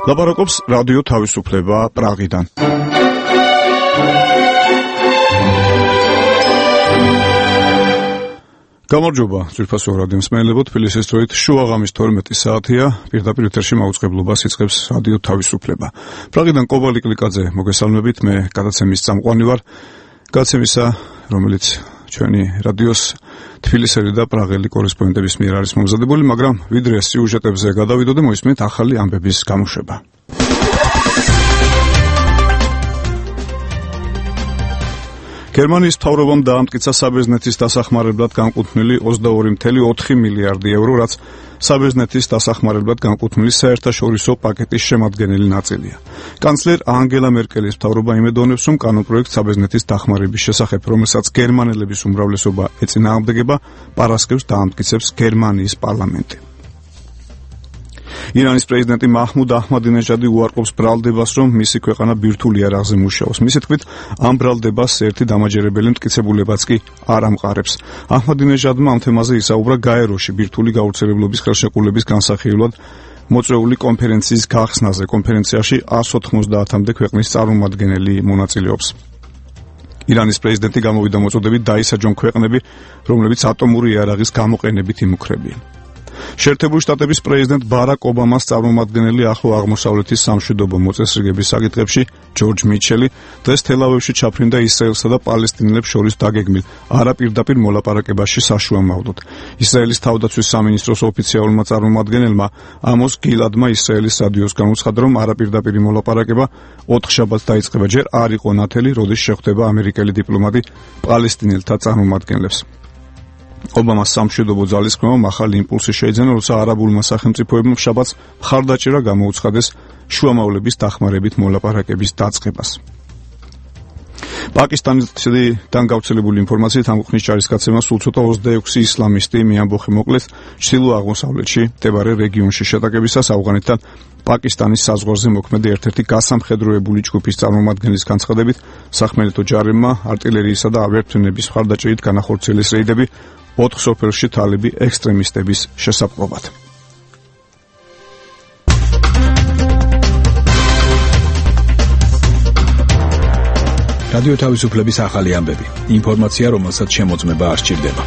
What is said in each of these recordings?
ლაპარაკობს რადიო თავისუფლება პრაღიდან. გამარჯობა, ძვირფასო რადიო მსმენელებო, თბილისის დროით შუაღამის 12 საათია, პირდაპირ ეთერში მაუწყებლობას იწყებს რადიო თავისუფლება. პრაღიდან კობალი კლიკაძე მოგესალმებით, მე გადაცემის წამყვანი ვარ. გადაცემისა, რომელიც ჩვენი რადიოს თბილისელი და პრაღელი კორესპონდენტების მიერ არის მომზადებული, მაგრამ ვიდრე სიუჟეტებზე გადავიდოდე, მოისმენთ ახალი ამბების გამოშვება. გერმანიის მთავრობამ დაამტკიცა საბერძნეთის დასახმარებლად განკუთვნილი 22.4 მილიარდი ევრო, რაც საბერძნეთის დასახმარებლად განკუთვნილი საერთაშორისო პაკეტის შემადგენელი ნაწილია. კანცლერ ანგელა მერკელის მთავრობა იმედოვნებს, რომ კანონპროექტ საბერძნეთის დახმარების შესახებ, რომელსაც გერმანელების უმრავლესობა ეწინააღმდეგება, პარასკევს დაამტკიცებს გერმანიის პარლამენტი. ირანის პრეზიდენტი მაჰმუდ აჰმადინეჟადი უარყოფს ბრალდებას, რომ მისი ქვეყანა ბირთვულ იარაღზე მუშაობს. მისი თქმით, ამ ბრალდებას ერთი დამაჯერებელი მტკიცებულებაც კი არ ამყარებს. აჰმადინეჟადმა ამ თემაზე ისაუბრა გაეროში ბირთვული გავრცელებლობის ხელშეკრულების განსახილველად მოწვეული კონფერენციის გახსნაზე. კონფერენციაში 190-მდე ქვეყნის წარმომადგენელი მონაწილეობს. ირანის პრეზიდენტი გამოვიდა მოწოდებით დაისაჯონ ქვეყნები, რომლებიც ატომური იარაღის გამოყენებით იმუქრებიან. შეერთებული შტატების პრეზიდენტ ბარაკ ობამას წარმომადგენელი ახლო აღმოსავლეთის სამშვიდობო მოწესრიგების საკითხებში ჯორჯ მიჩელი დღეს თელ-ავივში ჩაფრინდა ისრაელსა და პალესტინელებს შორის დაგეგმილ არაპირდაპირ მოლაპარაკებაში საშუალებლად. ისრაელის თავდაცვის სამინისტროს ოფიციალურმა წარმომადგენელმა ამოს გილადმა ისრაელის რადიოს განუცხადა, რომ არაპირდაპირი მოლაპარაკება 4 შაბათს დაიწყება. ჯერ არ იყო ნათელი, როდის შეხვდება ამერიკელი დიპლომატი პალესტინელთა წარმომადგენლებს. ობამას სამშვიდობო ძალისხმევამ ახალი იმპულსი შეიძენა, როცა არაბულმა სახელმწიფოებმა შაბათს მხარდაჭერა გამოუცხადეს შუამავლების დახმარებით მოლაპარაკების დაწყებას. პაკისტანიდან გავრცელებული ინფორმაციით ამ ქვეყნის ჯარისკაცებმა სულ ცოტა 26 ისლამისტი მიამბოხი მოკლეს ჩრდილო-აღმოსავლეთში მდებარე რეგიონში შეტაკებისას ავღანეთთან პაკისტანის საზღვარზე მოქმედი ერთ-ერთი გასამხედროებული ჯგუფის წარმომადგენლის განცხადებით, სახმელეთო ჯარებმა არტილერიისა და ავიაფრენების მხარდაჭერით განახორციელეს რეიდები 4 სოფელში თალიბი ექსტრემისტების შესაპყრობად. რადიო თავისუფლების ახალი ამბები. ინფორმაცია, რომელსაც შემოწმება არ სჭირდება.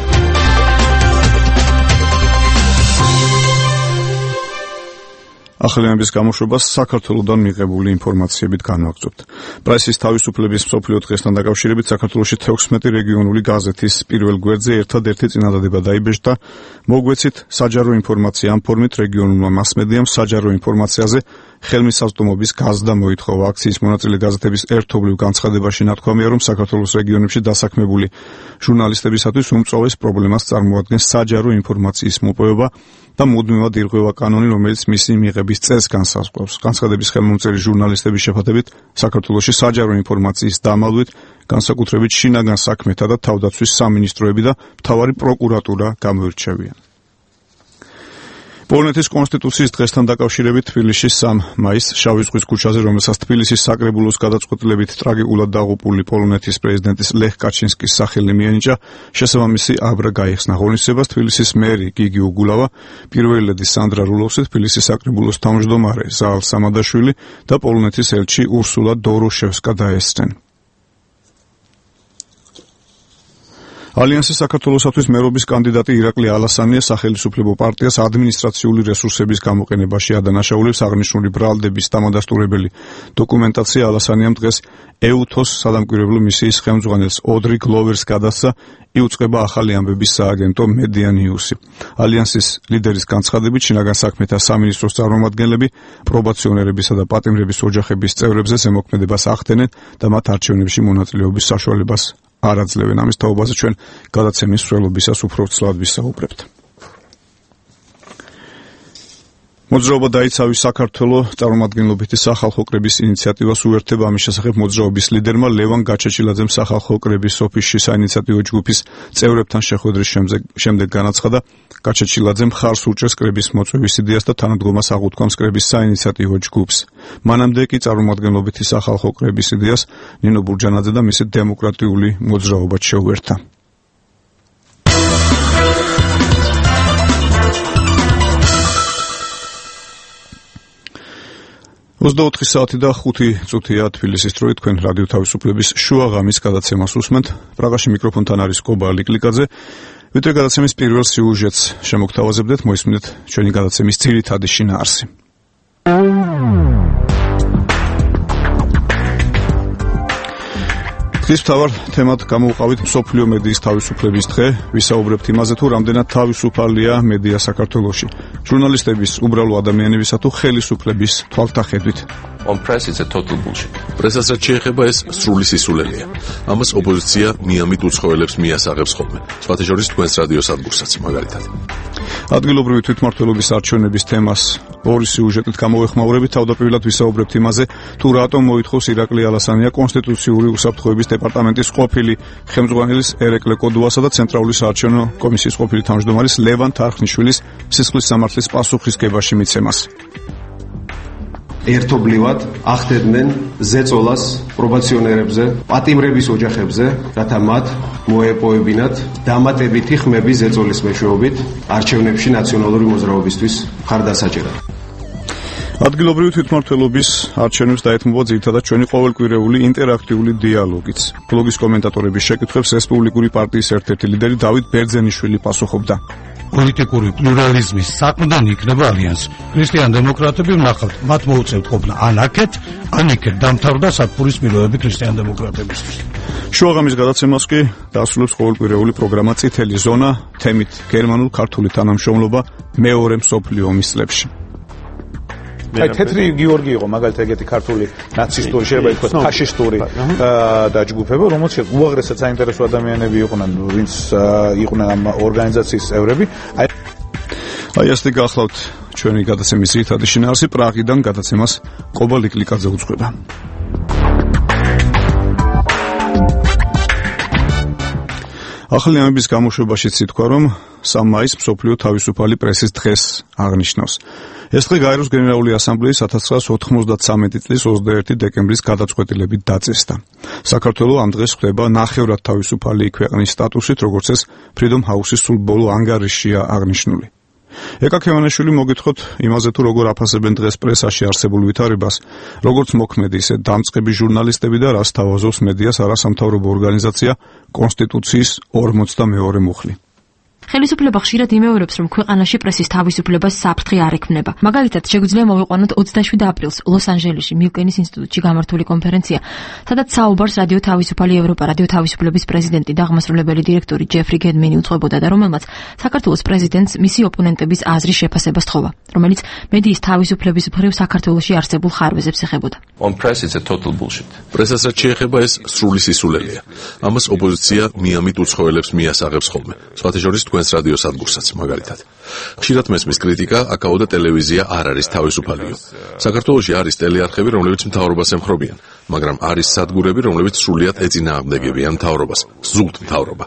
ახალი ამბების გამოშვებას საქართველოსდან მიღებული ინფორმაციებით განვაგრძობთ. პრესის თავისუფლების მსოფლიო დღესთან დაკავშირებით საქართველოში 16 რეგიონული გაზეთის პირველ გვერდზე ერთადერთი წინადადება დაიბეჭდა. მოგვეცით საჯარო ინფორმაცია ამ ფორმით რეგიონულმა მასმედიამ საჯარო ინფორმაციაზე ხელმისაწვდომობის გაზრდა მოითხოვა. აქციის მონაწილე გაზეთების ერთობლივ განცხადებაში ნათქვამია, რომ საქართველოს რეგიონებში დასაქმებული ჟურნალისტებისათვის უმწვავეს პრობლემას წარმოადგენს საჯარო ინფორმაციის მოპოვება და მუდმივად ირღვევა კანონი, რომელიც მისი მიღების წესს განსაზღვრავს. განცხადების ხელმომწერი ჟურნალისტების შეფათებით საქართველოში საჯარო ინფორმაციის დამალვით განსაკუთრებით შინაგან საქმეთა და თავდაცვის სამინისტროები და მთავარი პროკურატურა გამოირჩევიან. პოლონეთის კონსტიტუციის დღესთან დაკავშირებით თბილისში 3 მაისს შავი ზღვის ქუჩაზე, რომელსაც თბილისის საკრებულოს გადაწყვეტილებით ტრაგიკულად დაღუპული პოლონეთის პრეზიდენტის ლეხ კაჩინსკის სახელი მიენიჭა, შესაბამისი აბრა გაიხსნა. ღონისძიებას თბილისის მერი გიგი უგულავა, პირველი ლედი სანდრა რულოვსი, თბილისის საკრებულოს თავმჯდომარე ზაალ სამადაშვილი და პოლონეთის ელჩი ურსულა დოროშევსკა დაესწრნენ. ალიანსის საქართველოსათვის მერობის კანდიდატი ირაკლი ალასანია სახელმწიფო პარტიას ადმინისტრაციული რესურსების გამოყენებაში ადანაშაულებს. აღნიშნული ბრალდების დამადასტურებელი დოკუმენტაცია ალასანიამ დღეს ეუთოს სადამკვირვებლო მისიის ხელმძღვანელს ოდრი გლოვერს გადასცა. იუწყება ახალი ამბების სააგენტო მედია ნიუსი. ალიანსის ლიდერის განცხადებით, შინაგან საქმეთა სამინისტროს წარმომადგენლები პრობაციონერებისა და პატიმრების ოჯახების წევრებზე ზემოქმედებას ახდენენ და მათ არჩევნებში მონაწილეობის საშუალებას არ აძლევენ. ამის თაობაზე ჩვენ გადაცემის მსვლელობისას უფრო ცლად ვისაუბრებთ. მოძრაობა დაიცავი საქართველო წარმომადგენლობითი სახალხო კრების ინიციატივას უერთდება. ამის შესახებ მოძრაობის ლიდერმა ლევან გაჩეჩილაძემ სახალხო კრების ოფისში საინიციატივო ჯგუფის წევრებთან შეხვედრის შემდეგ განაცხადა, გაჩეჩილაძემ მხარს უჭერს კრების მოწვევის იდეას და თანადგომას აღუთქვამს კრების საინიციატივო ჯგუფს. მანამდე კი წარმომადგენლობითი სახალხო კრების იდეას ნინო ბურჯანაძე და მისი დემოკრატიული მოძრაობა შეუერთა. 24 საათი და 5 წუთია თბილისის დროით თქვენ რადიო თავისუფლების შუა ღამის გადაცემას უსმენთ. პრაღაში მიკროფონთან არის კობა ლიკლიკაძე. ვიდრე გადაცემის პირველ სიუჟეტს შემოგთავაზებდეთ, მოისმინეთ ჩვენი გადაცემის ძირითადი შინაარსი. დღის მთავარ თემად გამოვყავით მსოფლიო მედიის თავისუფლების დღე, ვისაუბრებთ იმაზე, თუ რამდენად თავისუფალია მედია საქართველოში, ჟურნალისტების, უბრალო ადამიანებისა თუ ხელისუფლების თვალთახედვით. On press it's a total bullshit. პრესასაც შეეხება ეს სრული სისულელეა. ამას ოპოზიცია მიამით უცხოელებს მიასაღებს ხოლმე. სხვათა შორის თქვენს რადიო სადგურსაც მაგალითად. ადგილობრივი თვითმმართველობის არჩევნების თემას ორი სიუჟეტით გამოვეხმაურებით. თავდაპირველად ვისაუბრებთ იმაზე, თუ რატომ მოითხოვს ირაკლი ალასანია კონსტიტუციური უსაფრთხოების დეპარტამენტის ყოფილი ხელმძღვანელის ერეკლე კოდუასა და ცენტრალური საარჩევნო კომისიის ყოფილი თავმჯდომარის ლევან თარხნიშვილის სისხლის სამართლის პასუხისგებაში მიცემას. ერთობლივად ახდენდნენ ზეწოლას პრობაციონერებზე, პატიმრების ოჯახებზე, რათა მათ მოეპოვებინათ დამატებითი ხმები ზეწოლის მეშვეობით არჩევნებში ნაციონალური მოძრაობისთვის მხარდასაჭერად. ადგილობრივი თვითმმართველობის არჩევნებს დაეთმობა ძირითადად ჩვენი ყოველკვირეული ინტერაქტიული დიალოგიც. ბლოგის კომენტატორების შეკითხვებს რესპუბლიკური პარტიის ერთ-ერთი ლიდერი დავით ბერძენიშვილი პასუხობდა. პოლიტიკური პლურალიზმის საყრდენ იქნება ალიანსი. ქრისტიან დემოკრატები ვნახავთ, მათ მოუწევთ ყოფნა ან აქეთ, ან იქეთ დამთავრდა სათბურის მილოები ქრისტიან დემოკრატებისთვის. შუაღამის გადაცემას კი დასრულებს ყოველკვირეული პროგრამა წითელი ზონა, თემით გერმანულ-ქართული თანამშრომლობა მეორე მსოფლიო ომის წლებში. აი თეთრი გიორგი იყო მაგალითად ეგეთი ქართული ნაცისტური შეიძლება ითქვას ფაშისტური დაჯგუფება, რომელშიც უაღრესად საინტერესო ადამიანები იყვნენ, ვინც იყვნენ ამ ორგანიზაციის წევრები. აი ასეთი გახლავთ ჩვენი გადაცემის ძირითადი შინაარსი. პრაღიდან გადაცემას კობა ლიკლიკაძე უძღვება. ახალი ამების გამოშვებაშიც ითქვა, რომ 3 მაისს მსოფლიო თავისუფალი პრესის დღეს აღნიშნავს. ეს დღე გაეროს გენერალური ასამბლეის 1993 წლის 21 დეკემბრის გადაწყვეტილებით დაწესდა. საქართველოს ამ დღეს ხდება ნახევრად თავისუფალი ქვეყნის სტატუსით, როგორც ეს Freedom House-ის სულ ბოლო ანგარიშია აღნიშნული. ეკა ქევანაშვილი მოგითხოთ იმაზე, თუ როგორ აფასებენ დღეს პრესაში არსებულ ვითარებას, როგორც მოქმედი, ისე დამწყები ჟურნალისტები და რას თავაზობს მედიას არასამთავრობო ორგანიზაცია კონსტიტუციის 42 მუხლი. ხელისუფლება ხშირად იმეორებს, რომ ქვეყანაში პრესის თავისუფლებას საფრთხე არ ექმნება. მაგალითად, შეგვიძლია მოვიყვანოთ 27 აპრილს ლოს-ანჯელესში მილკენის ინსტიტუტში გამართული კონფერენცია, სადაც საუბარს რადიო თავისუფალი ევროპა რადიო თავისუფლების პრეზიდენტი და აღმასრულებელი დირექტორი ჯეფრი გედმენი უძღვებოდა და რომელმაც საქართველოს პრეზიდენტს მისი ოპონენტების აზრის შეფასება სთხოვა, რომელიც მედიის თავისუფლების მხრივ საქართველოში არსებულ ხარვეზებს ეხებოდა. On press it's a total bullshit. პრესასაც შეეხება ეს სრული სისულელეა. ამას ოპოზიცია მიამით უცხოელებს მიასაღებს ხოლმე. სხვათა შორის თქვენს რადიო სადგურსაც მაგალითად. ხშირად მესმის კრიტიკა, აკაო და ტელევიზია არ არის თავისუფალიო. საქართველოში არის ტელეარხები, რომლებიც მთავრობას ემხრობიან, მაგრამ არის სადგურები, რომლებიც სრულიად ეწინააღმდეგებიან მთავრობას, ზუსტ მთავრობა.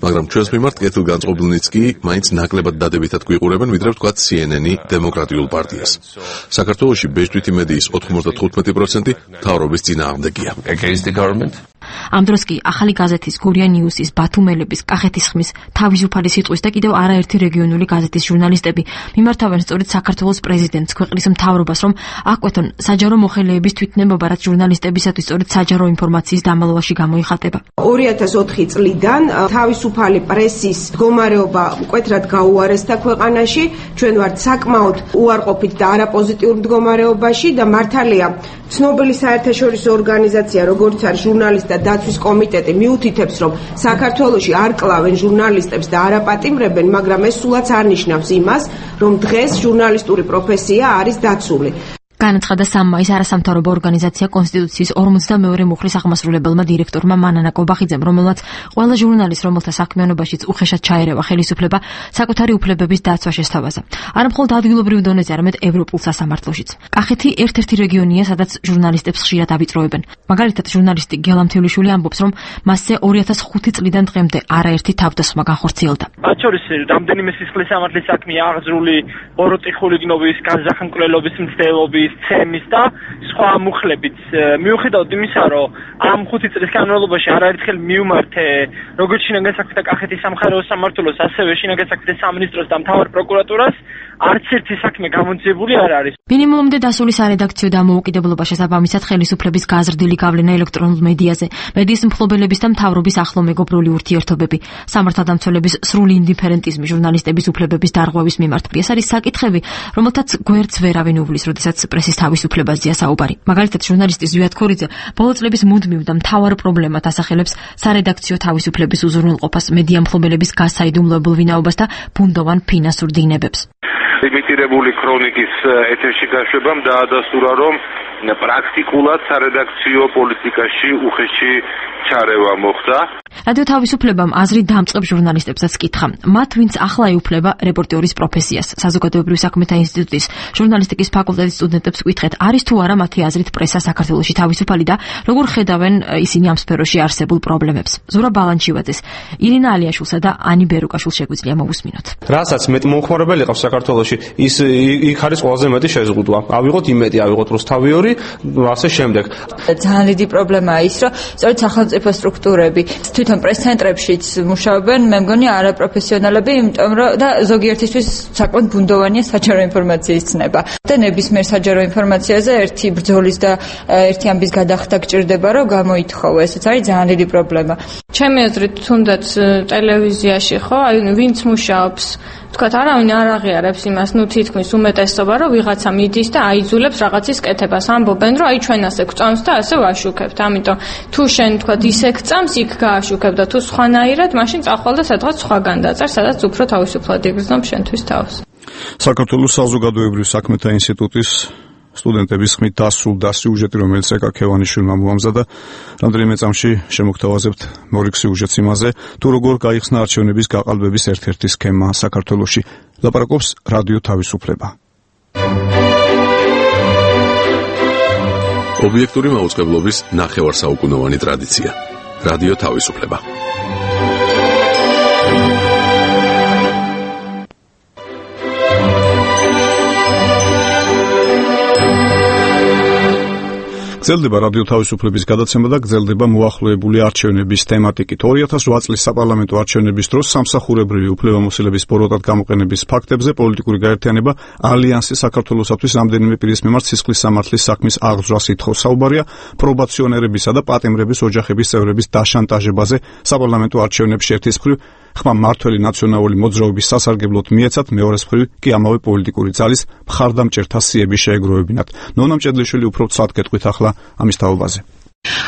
მაგრამ ჩვენს მიმართ კეთილგანწყობილნიც კი მაინც ნაკლებად დადებითად გვიყურებენ, ვიდრე ვთქვათ CNN-ი დემოკრატიულ პარტიას. საქართველოში ბეჭდვითი მედიის 95% მთავრობის წინააღმდეგია. Against the government. ამ დროს კი ახალი გაზეთის გურია ნიუსის, ბათუმელების, კახეთის ხმის, თავისუფალი სიტყვის და კიდევ არაერთი რეგიონული გაზეთის ჟურნალისტები მიმართავენ სწორედ საქართველოს პრეზიდენტს, ქვეყნის მთავრობას, რომ აკვეთონ საჯარო მოხელეების თვითნებობა, რაც ჟურნალისტებისათვის სწორედ საჯარო ინფორმაციის დამალავაში გამოიხატება. 2004 წლიდან თავისუფალი პრესის მდგომარეობა მკვეთრად გაუარესდა ქვეყანაში. ჩვენ ვართ საკმაოდ უარყოფით და არაპოზიტიურ მდგომარეობაში და მართალია ცნობილი საერთაშორისო ორგანიზაცია, როგორც არის ჟურნალისტთა დაცვის კომიტეტი, მიუთითებს, რომ საქართველოში არ კლავენ ჟურნალისტებს და არაპატიმრებენ, მაგრამ ეს სულაც არ ნიშნავს იმას, რომ დღეს ჟურნალისტური პროფესია არის დაცული. განაცხადა 3 მაისს არასამთავრობო ორგანიზაცია კონსტიტუციის 42 მუხლის აღმასრულებელმა დირექტორმა მანანა კობახიძემ, რომელმაც ყველა ჟურნალისტს, რომელთა საქმიანობაშიც უხეშად ჩაერევა ხელისუფლება, საკუთარი უფლებების დაცვა შესთავაზა. არა მხოლოდ ადგილობრივ დონეზე, არამედ ევროპულ სასამართლოშიც. კახეთი ერთ-ერთი რეგიონია, სადაც ჟურნალისტებს ხშირად ავიწროებენ. მაგალითად, ჟურნალისტი გელამთევლიშვილი ამბობს, რომ მასზე 2005 წლიდან დღემდე არაერთი თავდასხმა განხორციელდა. მათ შორის რამდენიმე სისხლის სამართლის საქმეა აღძრული, ბოროტი ხულიგნობის, განზახმკვლელობის მცდელობის, ცემის და სხვა მუხლებით. მიუხედავად იმისა, რომ ამ 5 წლის განმავლობაში არაერთხელ მიუმართე როგორც შინაგან საქმეთა კახეთის სამხარეო სამმართველოს, ასევე შინაგან საქმეთა სამინისტროს და მთავარ პროკურატურას, არც ერთი საქმე გამონწიებული არ არის. მინიმუმამდე დასული სარედაქციო დამოუკიდებლობა შესაბამისად ხელისუფლების გაზრდილი გავლენა ელექტრონულ მედიაზე, მედიის მფლობელების და მთავრობის ახლო მეგობრული ურთიერთობები, სამართალდამცველების სრული ინდიფერენტიზმი, ჟურნალისტების უფლებების დარღვევის მიმართ. ეს არის საკითხები, რომელთაც გვერდს ვერავინ უვლის, როდესაც პრესის თავისუფლებაზეა საუბარი. მაგალითად, ჟურნალისტი ზვიად ქორიძე ბოლო წლების მუდმივ და მთავარ პრობლემად ასახელებს სარედაქციო თავისუფლების უზრუნველყოფას, მედია მფლობელების გასაიდუმლოებულ ვინაობას და ბუნდოვან ფინანსურ დინებებს. იმიტირებული ქრონიკის ეთერში გაშვებამ დაადასტურა, რომ პრაქტიკულად სარედაქციო პოლიტიკაში უხეში ჩარევა მოხდა. რადიო თავისუფლებამ აზრი დამწყებ ჟურნალისტებსაც კითხა. მათ ვინც ახლა ეუფლება რეპორტიორის პროფესიას, საზოგადოებრივი საქმეთა ინსტიტუტის ჟურნალისტიკის ფაკულტეტის სტუდენტებს კითხეთ, არის თუ არა მათი აზრით პრესა საქართველოში თავისუფალი და როგორ ხედავენ ისინი ამ სფეროში არსებულ პრობლემებს. ზურაბ ბალანჩივაძეს, ირინა ალიაშვილსა და ანი ბერუკაშვილს შეგვიძლია მოვუსმინოთ. რასაც მეტი მომხმარებელი ყავს საქართველოში, იქ არის ყველაზე მეტი შეზღუდვა. ავიღოთ იმედი, ავიღოთ რუსთავიორი, ასე შემდეგ. ძალიან დიდი პრობლემაა ის, რომ სწორედ სახელმწიფო სტრუქტურები თვითონ პრეს-ცენტრებშიც მუშაობენ, მე მგონი არაპროფესიონალები, იმიტომ რომ და ზოგიერთისთვის საკმაოდ ბუნდოვანია საჯარო ინფორმაციის ცნება. და ნებისმიერ საჯარო ინფორმაციაზე ერთი ბრძოლის და ერთი ამბის გადახდა გჭირდება, რომ გამოითხოვო. ესეც არის ძალიან დიდი პრობლემა. ჩემი აზრით, თუნდაც ტელევიზიაში ხო, აი ვინც მუშაობს, თქვათ, არავინ არ აღიარებს იმას, თითქმის უმეტესობა, რომ ვიღაცა მიდის და აიძულებს რაღაცის კეთებას. ამბობენ, რომ აი ჩვენ ასე გვწამს და ასე ვაშუქებთ. ამიტომ თუ შენ თქვათ ისე გწამს, იქ გააშუქებ და თუ სხვანაირად, მაშინ წახვალ და სადღაც სხვაგან დაწერ, სადაც უფრო თავისუფლად იგრძნობ შენთვის თავს. საქართველოს საზოგადოებრივი საქმეთა ინსტიტუტის სტუდენტების ხმით დასრულდა სიუჟეტი, რომელიც ეკა ქევანიშვილმა მოამზადა. რამდენიმე წამში შემოგთავაზებთ მორიგ სიუჟეტს იმაზე, თუ როგორ გაიხსნა არჩევნების გაყალბების ერთ-ერთი სქემა საქართველოში. ლაპარაკობს რადიო თავისუფლება. ობიექტური მაუწყებლობის ნახევარსაუკუნოვანი ტრადიცია. რადიო თავისუფლება. გრძელდება რადიო თავისუფლების გადაცემა და გრძელდება მოახლოებული არჩევნების თემატიკით. 2008 წლის საპარლამენტო არჩევნების დროს სამსახურებრივი უფლებამოსილების ბოროტად გამოყენების ფაქტებზე პოლიტიკური გაერთიანება ალიანსი საქართველოსათვის რამდენიმე პირის მიმართ სისხლის სამართლის საქმის აღძვრას ითხოვს. საუბარია პრობაციონერებისა და პატიმრების ოჯახების წევრების დაშანტაჟებაზე საპარლამენტო არჩევნებში ერთის მხრივ ხმა მართველი ნაციონალური მოძრაობის სასარგებლოდ მიეცათ, მეორეს მხრივ კი ამავე პოლიტიკური ძალის მხარდამჭერთა სიები შეეგროვებინათ. ნონა მჭედლიშვილი უფრო ცალ კეთყვით ახლა ამის თაობაზე.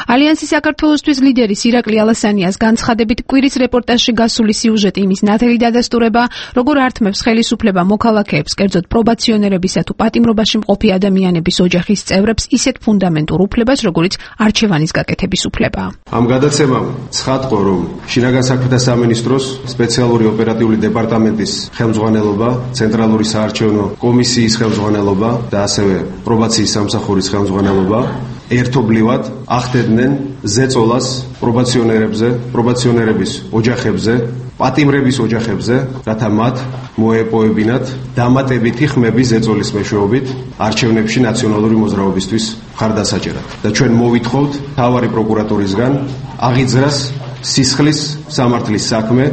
ალიანსი საქართველოსთვის ლიდერის ირაკლი ალასანიას განცხადებით კვირის რეპორტაჟში გასული სიუჟეტი იმის ნათელი დადასტურება, როგორ ართმევს ხელისუფლება მოქალაქეებს, კერძოდ პრობაციონერებისა თუ პატიმრობაში მყოფი ადამიანების ოჯახის წევრებს ისეთ ფუნდამენტურ უფლებას, როგორც არჩევანის გაკეთების უფლება. ამ გადაცემამ ცხადყო, რომ შინაგან საქმეთა სამინისტროს სპეციალური ოპერატიული დეპარტამენტის ხელმძღვანელობა, ცენტრალური საარჩევნო კომისიის ხელმძღვანელობა და ასევე პრობაციის სამსახურის ხელმძღვანელობა ერთობლივად ახდენდნენ ზეწოლას პრობაციონერების ოჯახებზე, პატიმრების ოჯახებზე, რათა მათ მოეპოვებინათ დამატებითი ხმები ზეწოლის მეშვეობით არჩევნებში ნაციონალური მოძრაობისთვის მხარდასაჭერად. და ჩვენ მოვითხოვთ მთავარი პროკურატურისგან აღიძრას სისხლის სამართლის საქმე.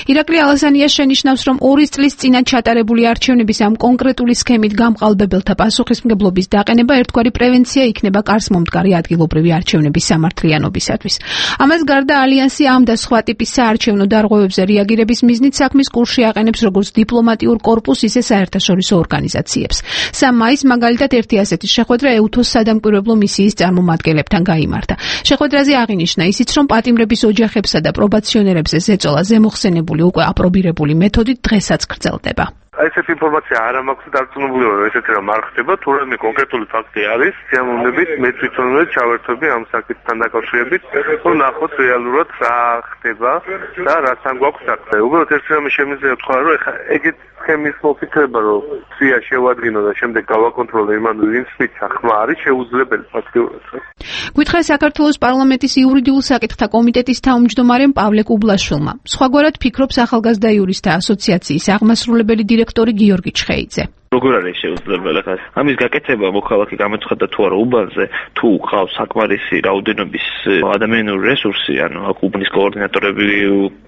ირაკლი ალასანია შენიშნავს, რომ 2 წლის წინათ ჩატარებული არჩევნების ამ კონკრეტული სქემით გამყალბებელთა პასუხისმგებლობის დაყენება ერთგვარი პრევენცია იქნება კარს მომდგარი ადგილობრივი არჩევნების სამართლიანობისათვის. ამას გარდა ალიანსი ამ და სხვა ტიპის საარჩევნო დარღვევებზე რეაგირების მიზნით საქმის კურსში აყენებს როგორც დიპლომატიურ კორპუსს, ისე საერთაშორისო ორგანიზაციებს. 3 მაისს მაგალითად ერთი ასეთი შეხვედრა EUTHOS სადამკვირვებლო მისიის წარმომადგენლებთან გაიმართა. შეხვედრაზე აღინიშნა ისიც, რომ პატიმრების ოჯახებსა და პრობაციონერებზე ზეწოლა ზემოხსენებული უკვე აპრობირებული მეთოდით დღესაც გრძელდება. ესეთი ინფორმაცია არ მაქვს და დარწმუნებული ვარ, ესეთი რამ არ ხდება, თურმე კონკრეტული ფაქტი არის, სიამოვნებით მე თვითონვე ჩავერთვები ამ საკითხთან დაკავშირებით, რომ ნახოთ რეალურად რა ხდება და რასთან გვაქვს საქმე. უბრალოდ ეს რამე შემიძლია თქვა, რომ ეხა ეგეთ სქემის მოფიქრება, რომ სია შევადგინო და შემდეგ გავაკონტროლო იმან ვინც ხმა არის შეუძლებელი ფაქტიურად. გვითხრა საქართველოს პარლამენტის იურიდიულ საკითხთა კომიტეტის თავმჯდომარემ პავლე კუბლაშვილმა. სხვაგვარად ფიქრობს ახალგაზრდა იურისტთა ასოციაციის აღმასრულებელი დირექტორი გიორგი ჩხეიძე. როგორ არის შეუძლებელი ხა? ამის გაკეთება მოქალაქე გამოცხადდა თუ არა უბანზე, თუ ყავს საკმარისი რაოდენობის ადამიანური რესურსი, ანუ აქ უბნის კოორდინატორები,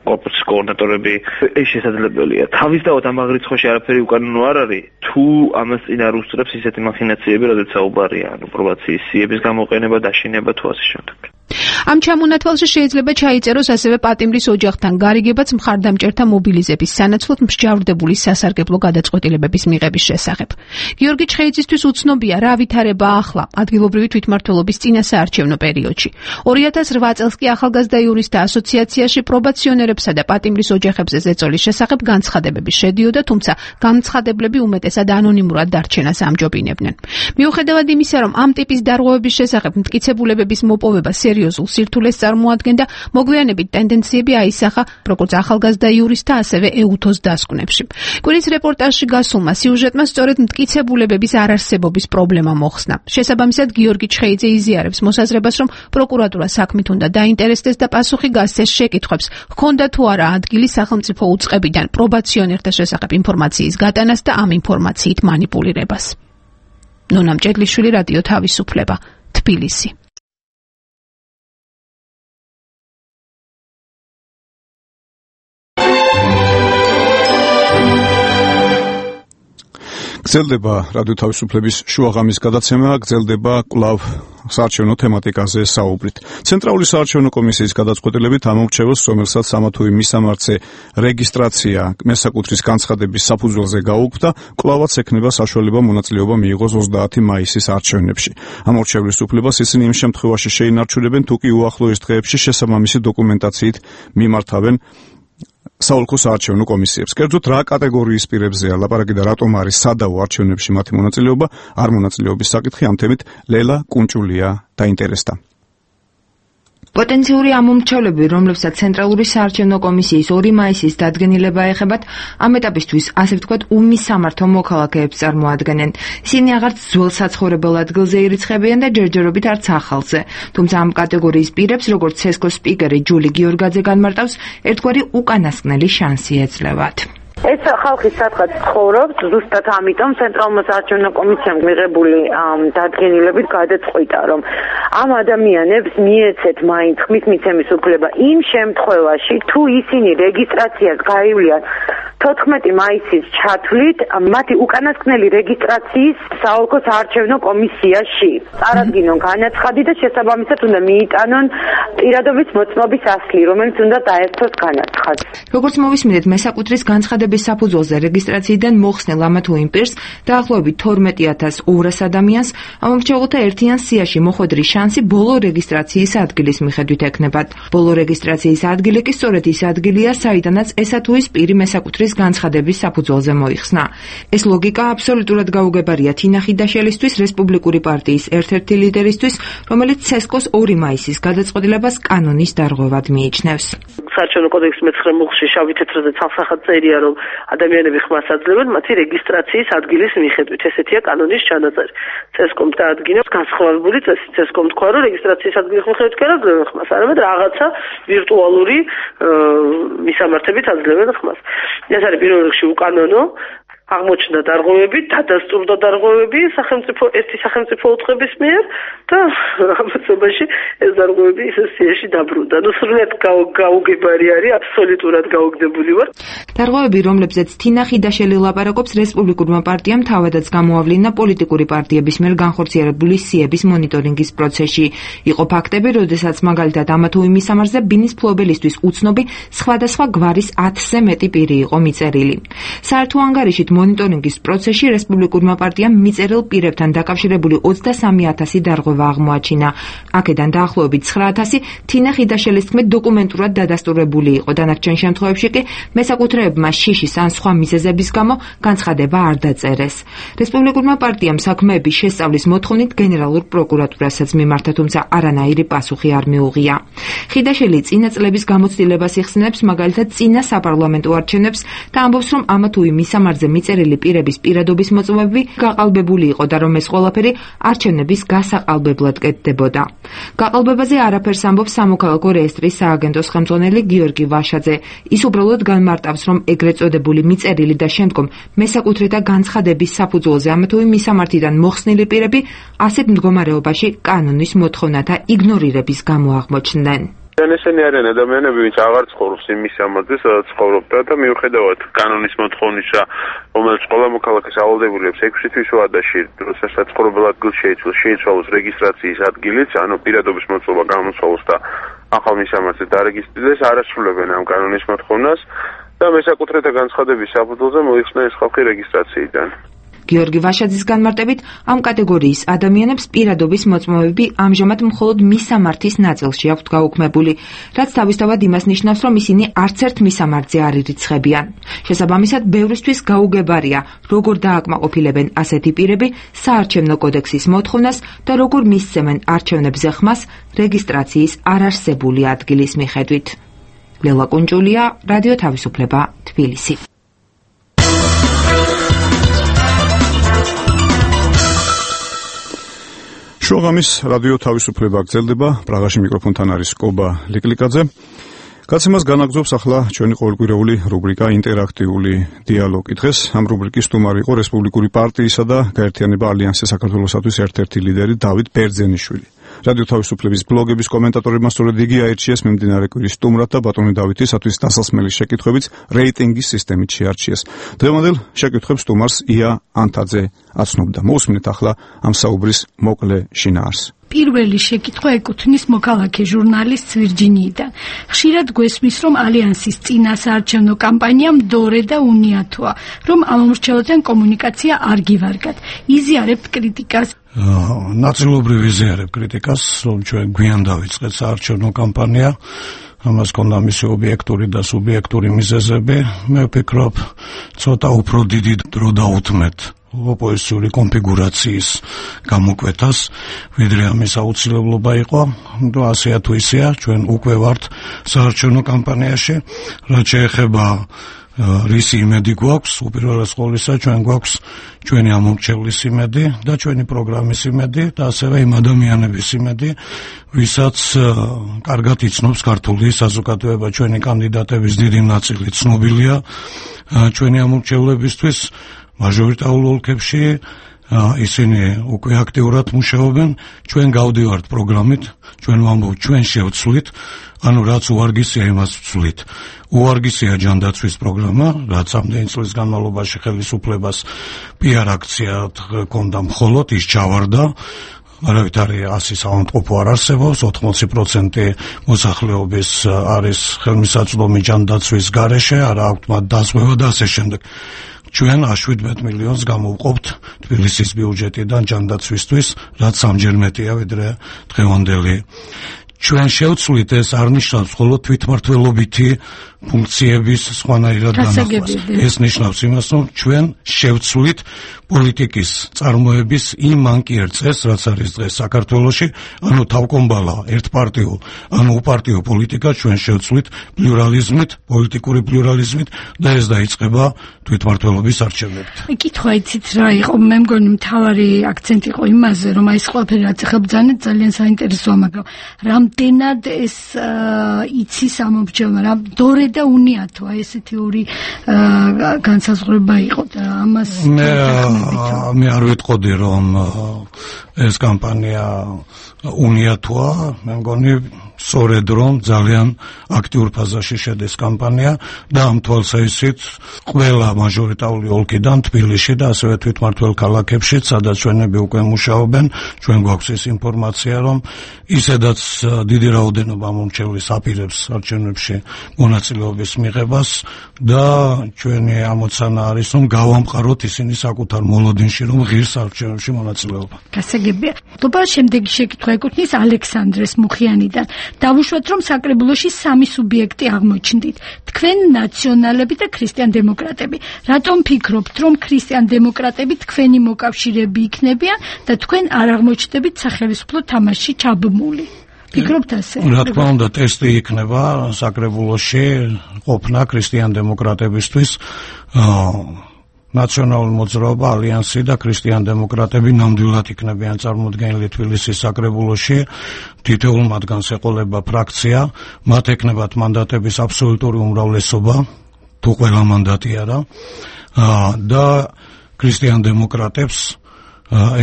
კორპუსის კოორდინატორები, ეს შესაძლებელია. თავისთავად ამ აღრიცხვაში არაფერი უკანონო არ არის, თუ ამას წინ არ უსწრებს ისეთი მახინაციები, რადგან საუბარია, ანუ პრობაციის სიების გამოყენება, დაშინება თუ ასე შემდეგ. ამ ჩამონათვალში შეიძლება ჩაიწეროს ასევე პატიმრის ოჯახთან გარიგებაც მხარდამჭერთა მობილიზების სანაცვლოდ მსჯავრდებული სასარგებლო გადაწყვეტილებების მიღების შესახებ. გიორგი ჩხეიძისთვის უცნობია რა ვითარება ახლა ადგილობრივი თვითმმართველობის წინასაარჩევნო პერიოდში. 2008 წელს კი ახალგაზრდა იურისტთა ასოციაციაში პრობაციონერებსა და პატიმრის ოჯახებზე ზეწოლის შესახებ განცხადებები შედიოდა, თუმცა განცხადებლები უმეტესად ანონიმურად დარჩენას ამჯობინებდნენ. მიუხედავად იმისა, რომ ამ ტიპის დარღვევების შესახებ მტკიცებულებების მოპოვება სერიოზულ სირთულეს წარმოადგენდა, მოგვიანებით ტენდენციები აისახა როგორც ახალგაზრდა იურისტთა, ასევე ეუთოს დასკვნებში. კვირის რეპორტაჟში გასულმა სიუჟეტმა სწორედ მტკიცებულებების არარსებობის პრობლემა მოხსნა. შესაბამისად, გიორგი ჩხეიძე იზიარებს მოსაზრებას, რომ პროკურატურა საქმით უნდა დაინტერესდეს და პასუხი გასცეს შეკითხვებს, ჰქონდა თუ არა ადგილი სახელმწიფო უწყებიდან პრობაციონერთა შესახებ ინფორმაციის გატანას და ამ ინფორმაციით მანიპულირებას. ნონა მჭედლიშვილი, რადიო თავისუფლება, თბილისი. გრძელდება რადიო თავისუფლების შუაღამის გადაცემა, გრძელდება კვლავ საარჩევნო თემატიკაზე საუბრით. ცენტრალური საარჩევნო კომისიის გადაწყვეტილებით ამორჩევოს, რომელსაც ამა თუ იმ მისამართზე რეგისტრაცია მესაკუთრის განცხადების საფუძველზე გაუქმდა, კვლავაც ექნება საშუალება მონაწილეობა მიიღოს 30 მაისის არჩევნებში. ამორჩევლის უფლებას ისინი იმ შემთხვევაში შეინარჩუნებენ, თუ კი უახლოეს დღეებში შესაბამისი დოკუმენტაციით მიმართავენ საოლქო საარჩევნო კომისიებს. კერძოდ რა კატეგორიის პირებზეა ლაპარაკი და რატომ არის სადავო არჩევნებში მათი მონაწილეობა, არ მონაწილეობის საკითხი ამ თემით ლელა კუნჭულია დაინტერესდა. პოტენციური ამომრჩევლები, რომლებსაც ცენტრალური საარჩევნო კომისიის 2 მაისის დადგენილება ეხებათ, ამ ეტაპისთვის, ასე ვთქვათ, უმისამართო მოქალაქეებს წარმოადგენენ. ისინი აღარც ძველ საცხოვრებელ ადგილზე ირიცხებიან და ჯერჯერობით არც ახალზე. თუმცა ამ კატეგორიის პირებს, როგორც ცესკოს სპიკერი ჯული გიორგაძე განმარტავს, ერთგვარი უკანასკნელი შანსი ეძლევათ. ეს ხალხი სადღაც ცხოვრობს, ზუსტად ამიტომ ცენტრალურმა საარჩევნო კომისიამ მიღებული დადგენილებით გადაწყვიტა, რომ ამ ადამიანებს მიეცეთ მაინც ხმის მიცემის უფლება იმ შემთხვევაში, თუ ისინი რეგისტრაციას გაივლიან 14 მაისის ჩათვლით მათი უკანასკნელი რეგისტრაციის საოლქო საარჩევნო კომისიაში. წარადგინონ განაცხადი და შესაბამისად უნდა მიიტანონ პირადობის მოწმობის ასლი, რომელიც უნდა დაერთოს განაცხადს. როგორც მოვისმინეთ, მესაკუთრის განცხადების საფუძველზე რეგისტრაციიდან მოხსნილ ამა თუ იმ პირს დაახლოებით 12200 ადამიანს ამომრჩევლთა ერთიან სიაში მოხვედრის შანსი ბოლო რეგისტრაციის ადგილის მიხედვით ექნებათ. ბოლო რეგისტრაციის ადგილი კი სწორედ ის ადგილია, საიდანაც ესა თუ ის პირი მესაკუთრის განცხადების საფუძველზე მოიხსნა. ეს ლოგიკა აბსოლუტურად გაუგებარია თინა ხიდაშელისთვის, რესპუბლიკური პარტიის ერთ-ერთი ლიდერისთვის, რომელიც ცესკოს 2 მაისის გადაწყვეტილებას კანონის დარღვევად მიიჩნევს. საარჩევნო კოდექსის 9 მუხლში შავი თეთრზე ცალსახად წერია, რომ ადამიანები ხმას აძლევენ მათი რეგისტრაციის ადგილის მიხედვით. ესეთია კანონის ჩანაწერი. ცესკომ დაადგინა განსხვავებული წესი. ცესკომ თქვა, რომ რეგისტრაციის ადგილის მიხედვით კი არ აძლევენ ხმას, არამედ რაღაცა ვირტუალური მისამართებით აძლევენ ხმას. ეს არის პირველ რიგში უკანონო. აღმოჩნდა დარღვევები, დადასტურდა დარღვევები ერთი სახელმწიფო უწყების მიერ და ამასობაში ეს დარღვევები ისე სიაში დაბრუნდა. ნუ სრულად გაუგებარი არის, აბსოლუტურად გაუგდებული ვარ. დარღვევები, რომლებზეც თინა ხიდაშელი ლაპარაკობს, რესპუბლიკურმა პარტიამ თავადაც გამოავლინა პოლიტიკური პარტიების მიერ განხორციელებული სიების მონიტორინგის პროცესში. იყო ფაქტები, როდესაც მაგალითად ამა თუ იმ მისამართზე ბინის ფლობელისთვის უცნობი სხვადასხვა გვარის 1000-ზე მეტი პირი იყო მიწერილი. საერთო ანგარიშით მონიტორინგის პროცესში რესპუბლიკურმა პარტიამ მიწერილ პირებთან დაკავშირებული 23000 დარღვევა აღმოაჩინა. აქედან დაახლოებით 9000 თინა ხიდაშელის თქმით დოკუმენტურად დადასტურებული იყო. დანარჩენ შემთხვევებში კი მესაკუთრეებმა შიშის ან სხვა მიზეზების გამო განცხადება არ დაწერეს. რესპუბლიკურმა პარტიამ საქმეების შესწავლის მოთხოვნით გენერალურ პროკურატურასაც მიმართა, თუმცა არანაირი პასუხი არ მიუღია. ხიდაშელი წინა წლების გამოცდილებას იხსენებს, მაგალითად წინა საპარლამენტო არჩევნებს და ამბობს, რომ ამა თუ იმ მისამართზე მიწერილი პირების პირადობის მოწმობები გაყალბებული იყო და რომ ეს ყველაფერი არჩევნების გასაყალბებლად კეთდებოდა. გაყალბებაზე არაფერს ამბობს სამოქალაქო რეესტრის სააგენტოს ხელმძღვანელი გიორგი ვაშაძე. ის უბრალოდ განმარტავს, რომ ეგრეთ წოდებული მიწერილი და შემდგომ მესაკუთრეთა განცხადების საფუძველზე ამა თუ იმ მისამართიდან მოხსნილი პირები ასეთ მდგომარეობაში კანონის მოთხოვნათა იგნორირების გამო აღმოჩნდნენ. ესენი არიან ადამიანები, ვინც აღარ ცხოვრობს იმ მისამართზე, სადაც ცხოვრობდა და მიუხედავად კანონის მოთხოვნისა, რომელიც ყველა მოქალაქეს ავალდებულებს 6 თვის ვადაში, როდესაც ცხოვრებელ ადგილს შეიცვალოს რეგისტრაციის ადგილიც, ანუ პირადობის მოწყობა გამოსვლოს და ახალ მისამართზე დარეგისტრირდეს, არ ასრულებენ ამ კანონის მოთხოვნას და მესაკუთრეთა განცხადების საფუძველზე მოიხსნა ეს ხალხი რეგისტრაციიდან. გიორგი ვაშაძის განმარტებით, ამ კატეგორიის ადამიანებს პირადობის მოწმობები ამჟამად მხოლოდ მისამართის ნაწილში აქვთ გაუქმებული, რაც თავისთავად იმას ნიშნავს, რომ ისინი არც ერთ მისამართზე არ ირიცხებიან. შესაბამისად, ბევრისთვის გაუგებარია, როგორ დააკმაყოფილებენ ასეთი პირები საარჩევნო კოდექსის მოთხოვნას და როგორ მისცემენ არჩევნებზე ხმას რეგისტრაციის არარსებული ადგილის მიხედვით. ლელა კუნჭულია, რადიო თავისუფლება, თბილისი. შუაღამის რადიო თავისუფლება გრძელდება. პრაღაში მიკროფონთან არის კობა ლიკლიკაძე. გაცემას განაგრძობს ახლა ჩვენი ყოველკვირეული რუბრიკა ინტერაქტიული დიალოგი. დღეს ამ რუბრიკის სტუმარი იყო რესპუბლიკური პარტიისა და გაერთიანება ალიანსის საქართველოსათვის ერთ-ერთი ლიდერი დავით ბერძენიშვილი. რადიო თავისუფლების ბლოგების კომენტატორებმა სწორედ იგი აირჩიეს მიმდინარე კვირის სტუმრად და ბატონი დავითისათვის დასასმელი შეკითხვებით რეიტინგის სისტემით შეარჩიეს. დღევანდელ შეკითხვებს სტუმარს ია ანთაძე აცნობდა. მოусმინეთ ახლა ამ საუბრის მოკლე შინაარს. პირველი შეკითხვა ეკუთვნის მოქალაქე ჟურნალისტ ვირჯინიიდან. ხშირად გვესმის, რომ ალიანსის წინა საარჩევნო კამპანია მდორე და უნიათოა, რომ ამ მომრჩევლთან კომუნიკაცია არ გივარგათ. იზიარებთ კრიტიკას? ნაწილობრივ იზიარებ კრიტიკას, რომ ჩვენ გვიან დავიწყეთ საარჩევნო კამპანია. ამას ქონდა მისი ობიექტური და სუბიექტური მიზეზები. მე ვფიქრობ, ცოტა უფრო დიდი დრო დაუთმეთ ოპოზიციური კონფიგურაციის გამოკვეთას, ვიდრე ამის აუცილებლობა იყო. და ასეა თუ ისეა, ჩვენ უკვე ვართ საარჩევნო კამპანიაში, რაც შეეხება რისი იმედი გვაქვს, უპირველეს ყოვლისა ჩვენ გვაქვს ჩვენი ამომრჩევლის იმედი და ჩვენი პროგრამის იმედი და ასევე იმ ადამიანების იმედი, ვისაც კარგად იცნობს ქართული საზოგადოება. ჩვენი კანდიდატების დიდი ნაწილი ცნობილია ჩვენი ამომრჩევლებისთვის მაჟორიტარულ ოლქებში, ისინი უკვე აქტიურად მუშაობენ, ჩვენ გავდივართ პროგრამით, ჩვენ ვამბობთ, ჩვენ შევცვლით, ანუ რაც უარგისია იმას ვცვლით. უარგისია ჯანდაცვის პროგრამა, რაც ამდენი წლის განმავლობაში ხელისუფლებას PR აქცია ჰქონდა მხოლოდ, ის ჩავარდა. არავითარი ასი საავადმყოფო არ არსებობს, 80% მოსახლეობის არის ხელმისაწვდომი ჯანდაცვის გარეშე, არა აქვთ მათ დაზღვევა და ასე შემდეგ. ჩვენ 17 მილიონს გამოვყოფთ თბილისის ბიუჯეტიდან ჯანდაცვისთვის, რაც სამჯერ მეტია ვიდრე დღევანდელი. ჩვენ შევცვლით, ეს არ ნიშნავს მხოლოდ თვითმმართველობითი ფუნქციების სხვანაირად განახვას. ეს ნიშნავს იმას, რომ ჩვენ შევცვლით პოლიტიკის წარმოების იმ მანკიერ წესს, რაც არის დღეს საქართველოში, ანუ თავკომბალა, ერთპარტიულ, ანუ უპარტიო პოლიტიკა ჩვენ შევცვლით პლურალიზმით, პოლიტიკური პლურალიზმით და ეს დაიწყება თვითმმართველობის არჩევნებით. კითხვა იცით რა იყო, მე მგონი მთავარი აქცენტი იყო იმაზე, რომ აი ეს ყველაფერი რაც ახლა ბრძანეთ ძალიან საინტერესოა, მაგრამ რამდენად ეს იცის ამომრჩევლმა, რა დორე და უნიათოა ესეთი ორი განსაზღვრება იყო და ამას მე არ ვიტყოდი რომ ეს კამპანია უნიათოა, მე მგონი სწორედ რომ ძალიან აქტიურ ფაზაში შედის კამპანია და ამ თვალსაზრისით ყველა მაჟორიტარული ოლქიდან თბილისში და ასევე თვითმმართველ ქალაქებში, სადაც ჩვენები უკვე მუშაობენ, ჩვენ გვაქვს ეს ინფორმაცია, რომ ისედაც დიდი რაოდენობა მომრჩევლის აპირებს არჩევნებში მონაწილეობის მიღებას და ჩვენი ამოცანა არის, რომ გავამყაროთ ისინი საკუთარ მოლოდინში, რომ ღირს არჩევნებში მონაწილეობა. გასაგებია. თობა შემდეგი შეკითხვა ეკუთვნის ალექსანდრეს მუხიანიდან. დავუშვათ, რომ საკრებულოში სამი სუბიექტი აღმოჩნდით. თქვენ ნაციონალები და ქრისტიან დემოკრატები. რატომ ფიქრობთ, რომ ქრისტიან დემოკრატები თქვენი მოკავშირეები იქნებიან და თქვენ არ აღმოჩნდებით სახელმწიფო თამაშში ჩაბმული? ფიქრობთ ასე? რა თქმა უნდა, ტესტი იქნება საკრებულოში ყოფნა ქრისტიან დემოკრატებისთვის. ნაციონალური მოძრაობა, ალიანსი და ქრისტიან-დემოკრატები ნამდვილად იქნებიან წარმოდგენილი თბილისის საკრებულოში. თითოეულ მათგანს ეყოლება ფრაქცია, მათ ეკნებათ მანდატების აბსოლუტური უმრავლესობა, თუ ყველა მანდატი არა, და ქრისტიან-დემოკრატებს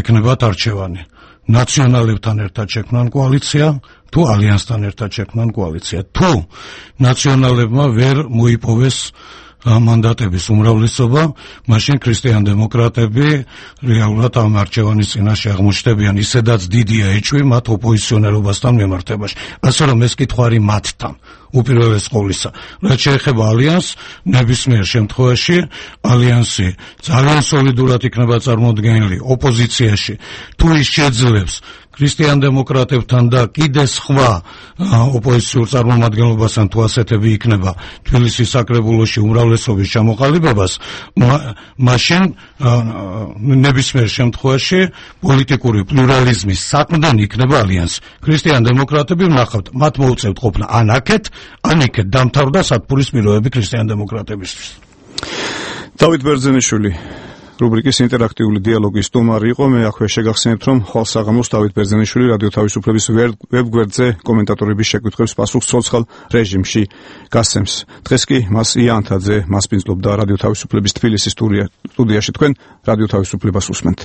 ეკნებათ არჩევანი. ნაციონალებთან ერთად შექმნან კოალიცია, თუ ალიანსთან ერთად შექმნან კოალიცია. თუ ნაციონალებმა ვერ მოიპოვეს მანდატების უმრავლესობა, მაშინ ქრისტიან-დემოკრატები რეალურად ამ არჩევანის წინაშე აღმოჩნდებიან, ისედაც დიდია ეჭვი მათ ოპოზიციონერობასთან მიმართებაში. ასე რომ ეს კითხვა არის მათთან უპირველეს ყოვლისა. რაც შეეხება ალიანსს, ნებისმიერ შემთხვევაში ალიანსი ძალიან სოლიდურად იქნება წარმოდგენილი ოპოზიციაში, თუ ის შეძლებს ქრისტიან-დემოკრატებთან და კიდე სხვა ოპოზიციურ წარმომადგენლობასთან თუ ასეთები იქნება თბილისის საკრებულოში უმრავლესობის ჩამოყალიბებას, მაშინ ნებისმიერ შემთხვევაში პოლიტიკური პლურალიზმის საყრდენი იქნება ალიანსი. ქრისტიან-დემოკრატები ვნახავთ, მათ მოუწევთ ყოფნა ან აქეთ, ან იქეთ, დამთავრდა სათბურის პირობები ქრისტიან-დემოკრატებისთვის. დავით ბერძენიშვილი რუბრიკის ინტერაქტიული დიალოგის სტუმარი იყო. მე აქვე შეგახსენებთ, რომ ხვალ საღამოს დავით ბერძენიშვილი რადიო თავისუფლების ვებგვერდზე კომენტატორების შეკითხვებს პასუხს ცოცხალ რეჟიმში გასცემს. დღეს კი მას იანთაძე მასპინძლობდა რადიო თავისუფლების თბილისის სტუდიაში. თქვენ რადიო თავისუფლებას უსმენთ.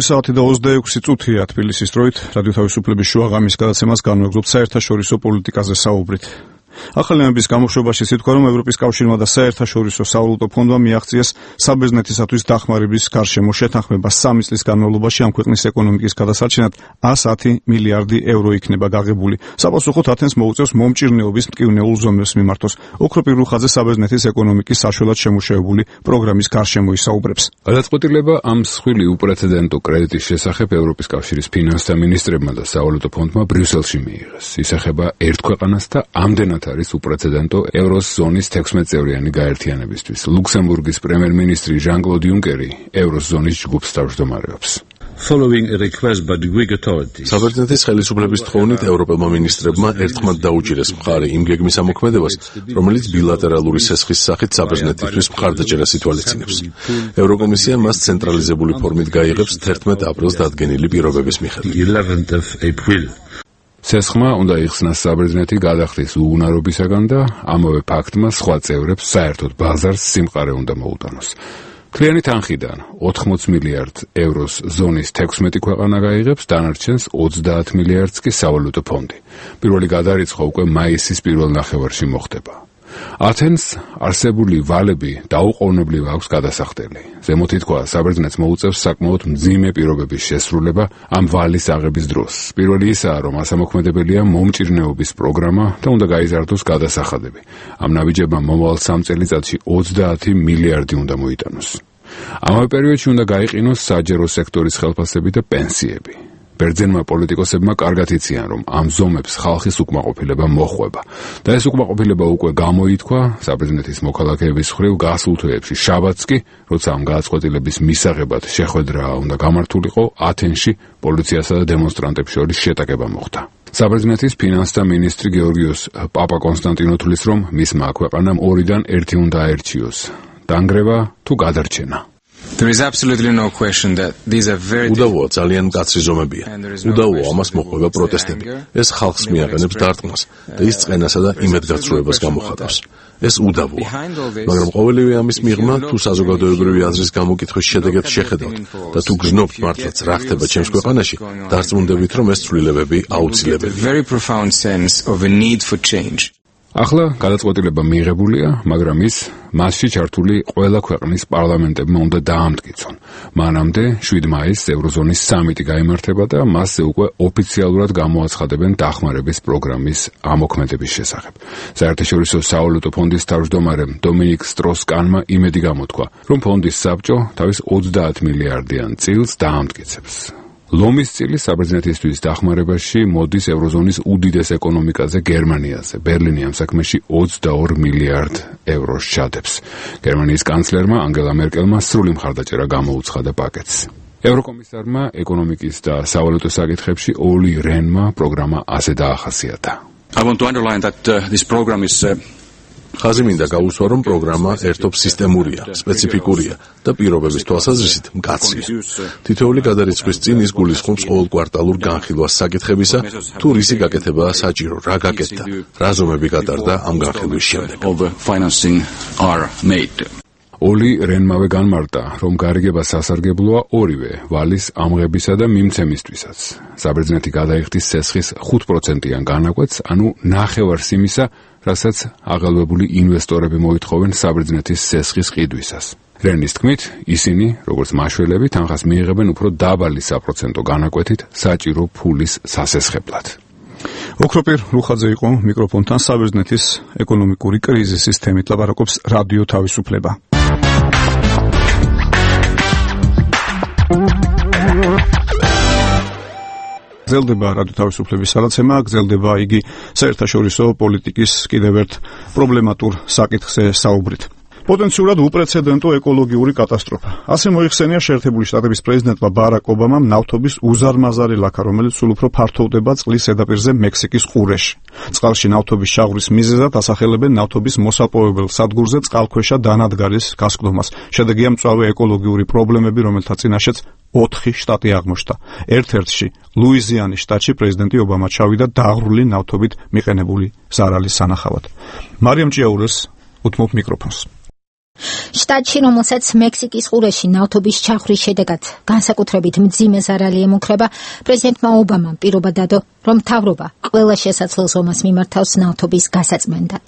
საათი და 26 წუთია თბილისის დროით. რადიო თავისუფლების შუაღამის გადაცემას განვეგზობთ საერთაშორისო პოლიტიკაზე საუბრით. ახალი ამბის გამოშვებაში სიტყვა, რომ ევროპის კავშირმა და საერთაშორისო სავალუტო ფონდმა მიაღწიეს საბერძნეთისათვის დახმარების გარშემო შეთანხმება 3 წლის განმავლობაში ამ ქვეყნის ეკონომიკის გადასარჩენად 110 მილიარდი ევრო იქნება გაღებული. საპასუხოდ ათენს მოუწევს მომჭირნეობის მტკივნეულ ზომებს მიმართოს. ოქროპირ რუხაძე საბერძნეთის ეკონომიკის საშუალად შემუშავებული პროგრამის გარშემო ისაუბრებს. გადაწყვეტილება ამ მსხვილი უპრეცედენტო კრედიტის შესახებ ევროპის კავშირის ფინანსთა მინისტრებმა და სავალუტო ფონდმა ბრიუსელში მიიღეს. ისახება ერთ ქვეყანას და ამდენად არის უპრეცედენტო ევროს ზონის 16 წევრიანი გაერთიანებისთვის. ლუქსემბურგის პრემიერ-მინისტრი ჟან-კლოდ იუნკერი ევროს ზონის ჯგუფს თავმჯდომარეობს. საბერძნეთის ხელისუფლების თხოვნით ევროპელმა მინისტრებმა ერთხმად დაუჭირეს მხარი იმ გეგმის ამოქმედებას, რომელიც ბილატერალური სესხის სახით საბერძნეთისთვის მხარდაჭერას ითვალისწინებს. ევროკომისია მას ცენტრალიზებული ფორმით გაიღებს 11 აპრილს დადგენილი პირობების მიხედვით. სესხმა უნდა იხსნას საბერძნეთი გადახდის უუნარობისაგან და ამავე ფაქტმა სხვა წევრებს საერთოდ ბაზარს სიმყარე უნდა მოუტანოს. მთლიანი თანხიდან 80 მილიარდ ევროს ზონის 16 ქვეყანა გაიღებს, დანარჩენს 30 მილიარდს კი სავალუტო ფონდი. პირველი გადარიცხვა უკვე მაისის პირველ ნახევარში მოხდება. ათენს არსებული ვალები დაუყოვნებლივ აქვს გადასახდელი. ზემოთ ითქვა, საბერძნეთს მოუწევს საკმაოდ მძიმე პირობების შესრულება ამ ვალის აღების დროს. პირველი ისაა, რომ ასამოქმედებელია მომჭირნეობის პროგრამა და უნდა გაიზარდოს გადასახადები. ამ ნაბიჯებმა მომავალ 3 წელიწადში 30 მილიარდი უნდა მოიტანოს. ამავე პერიოდში უნდა გაიყინოს საჯარო სექტორის ხელფასები და პენსიები. ბერძენმა პოლიტიკოსებმა კარგად იციან, რომ ამ ზომებს ხალხის უკმაყოფილება მოხვება და ეს უკმაყოფილება უკვე გამოითქვა საბერძნეთის მოქალაქეების მხრივ გასულ თვეებში. შაბათს კი, როცა ამ გადაწყვეტილების მისაღებად შეხვედრა უნდა გამართულიყო, ათენში პოლიციასა და დემონსტრანტებს შორის შეტაკება მოხდა. საბერძნეთის ფინანსთა მინისტრი გეორგიოს პაპა-კონსტანტინოთulis, რომ მისმა ქვეყანამ 2-დან 1 უნდა აერჩიოს. დანგრევა თუ გადარჩენა. უდავოა, ძალიან მკაცრი ზომებია. უდავოა, ამას მოყვება პროტესტები. ეს ხალხს მიაყენებს დარტყმას და ის წყენასა და იმედგაცრუებას გამოხატავს. ეს უდავოა. მაგრამ ყოველივე ამის მიღმა, თუ საზოგადოებრივი აზრის გამოკითხვის შედეგებს შეხედავთ და თუ გრძნობთ მართლაც რა ხდება ჩემს ქვეყანაში, დარწმუნდებით, რომ ეს ცვლილებები აუცილებელია. ახლა გადაწყვეტილება მიიღებულია, მაგრამ ის მასში ჩართული ყველა ქვეყნის პარლამენტებმა უნდა დაამტკიცონ. მანამდე 7 მაისს ევროზონის სამიტი გაიმართება და მასზე უკვე ოფიციალურად გამოაცხადებენ დახმარების პროგრამის ამოქმედების შესახებ. საერთაშორისო სავალუტო ფონდის თავმჯდომარემ დომინიკ სტროს-კანმა იმედი გამოთქვა, რომ ფონდის საბჭო თავის 30 მილიარდიან წილს დაამტკიცებს. ლომის წილი საბერძნეთისთვის დახმარებაში მოდის ევროზონის უდიდეს ეკონომიკაზე გერმანიაზე. ბერლინი ამ საქმეში 22 მილიარდ ევროს ჩადებს. გერმანიის კანცლერმა ანგელა მერკელმა სრული მხარდაჭერა გამოუცხადა პაკეტს. ევროკომისარმა ეკონომიკის და სავალუტო საკითხებში ოლი რენმა პროგრამა ასე დაახასიათა. I want to underline that this program is ხაზი მინდა გაუსვა, რომ პროგრამა ერთობ სისტემურია, სპეციფიკურია და პირობების თვალსაზრისით მკაცრია. თითოეული გადარიცხვის წინ ის გულისხმობს ყოველკვარტალურ განხილვას საკითხებისა, თუ რისი გაკეთებაა საჭირო, რა გაკეთდა, რა ზომები გატარდა ამ განხილვის შემდეგ. ოლი რენმავე განმარტა, რომ გარიგება სასარგებლოა ორივე ვალის ამღებისა და მიმცემისთვისაც. საბერძნეთი გადაიხდის ცესხის 5%-იან განაკვეთს, ანუ ნახევარს იმისა, რასაც აღელვებული ინვესტორები მოითხოვენ საბერძნეთის ცესხის ყიდვისას. რენის თქმით, ისინი, როგორც მაშველები, თანხას მიიღებენ უფრო დაბალი საპროცენტო განაკვეთით საჭირო ფულის სასესხებლად. ოქროპირ რუხაძე იყო მიკროფონთან. საბერძნეთის ეკონომიკური კრიზისის თემით ლაპარაკობს რადიო თავისუფლება. გრძელდება რადიო თავისუფლების სალოცემა, გრძელდება იგი საერთაშორისო პოლიტიკის კიდევ ერთ პრობლემატურ საკითხზე საუბრით. პოტენციურად უპრეცედენტო ეკოლოგიური კატასტროფა. ასე მოიხსენია შეერთებული შტატების პრეზიდენტმა ბარაკ ობამამ ნავთობის უზარმაზარი ლაქა, რომელიც სულ უფრო ფართოვდება წყლის ზედაპირზე მექსიკის ყურეში. წყალში ნავთობის ჩაღვრის მიზეზად ასახელებენ ნავთობის მოსაპოვებელ სადგურზე წყალქვეშა დანადგარის გასკდომას. შედეგია მწვავე ეკოლოგიური პრობლემები, რომელთა წინაშეც 4 შტატი აღმოჩნდა. ერთ-ერთში, ლუიზიანის შტატში პრეზიდენტი ობამა ჩავიდა დაღრული ნავთობით მიყენებული ზარალის სანახავად. მარიამ ჭიაურეს უთმობ მიკროფონს. შტატში, რომელსაც მექსიკის ყურეში ნავთობის ჩახვის შედეგად განსაკუთრებით მძიმე ზარალი ემუქრება, პრეზიდენტმა ობამამ პირობა დადო, რომ მთავრობა ყველა შესაძლო ზომას მიმართავს ნავთობის გასაწმენდად.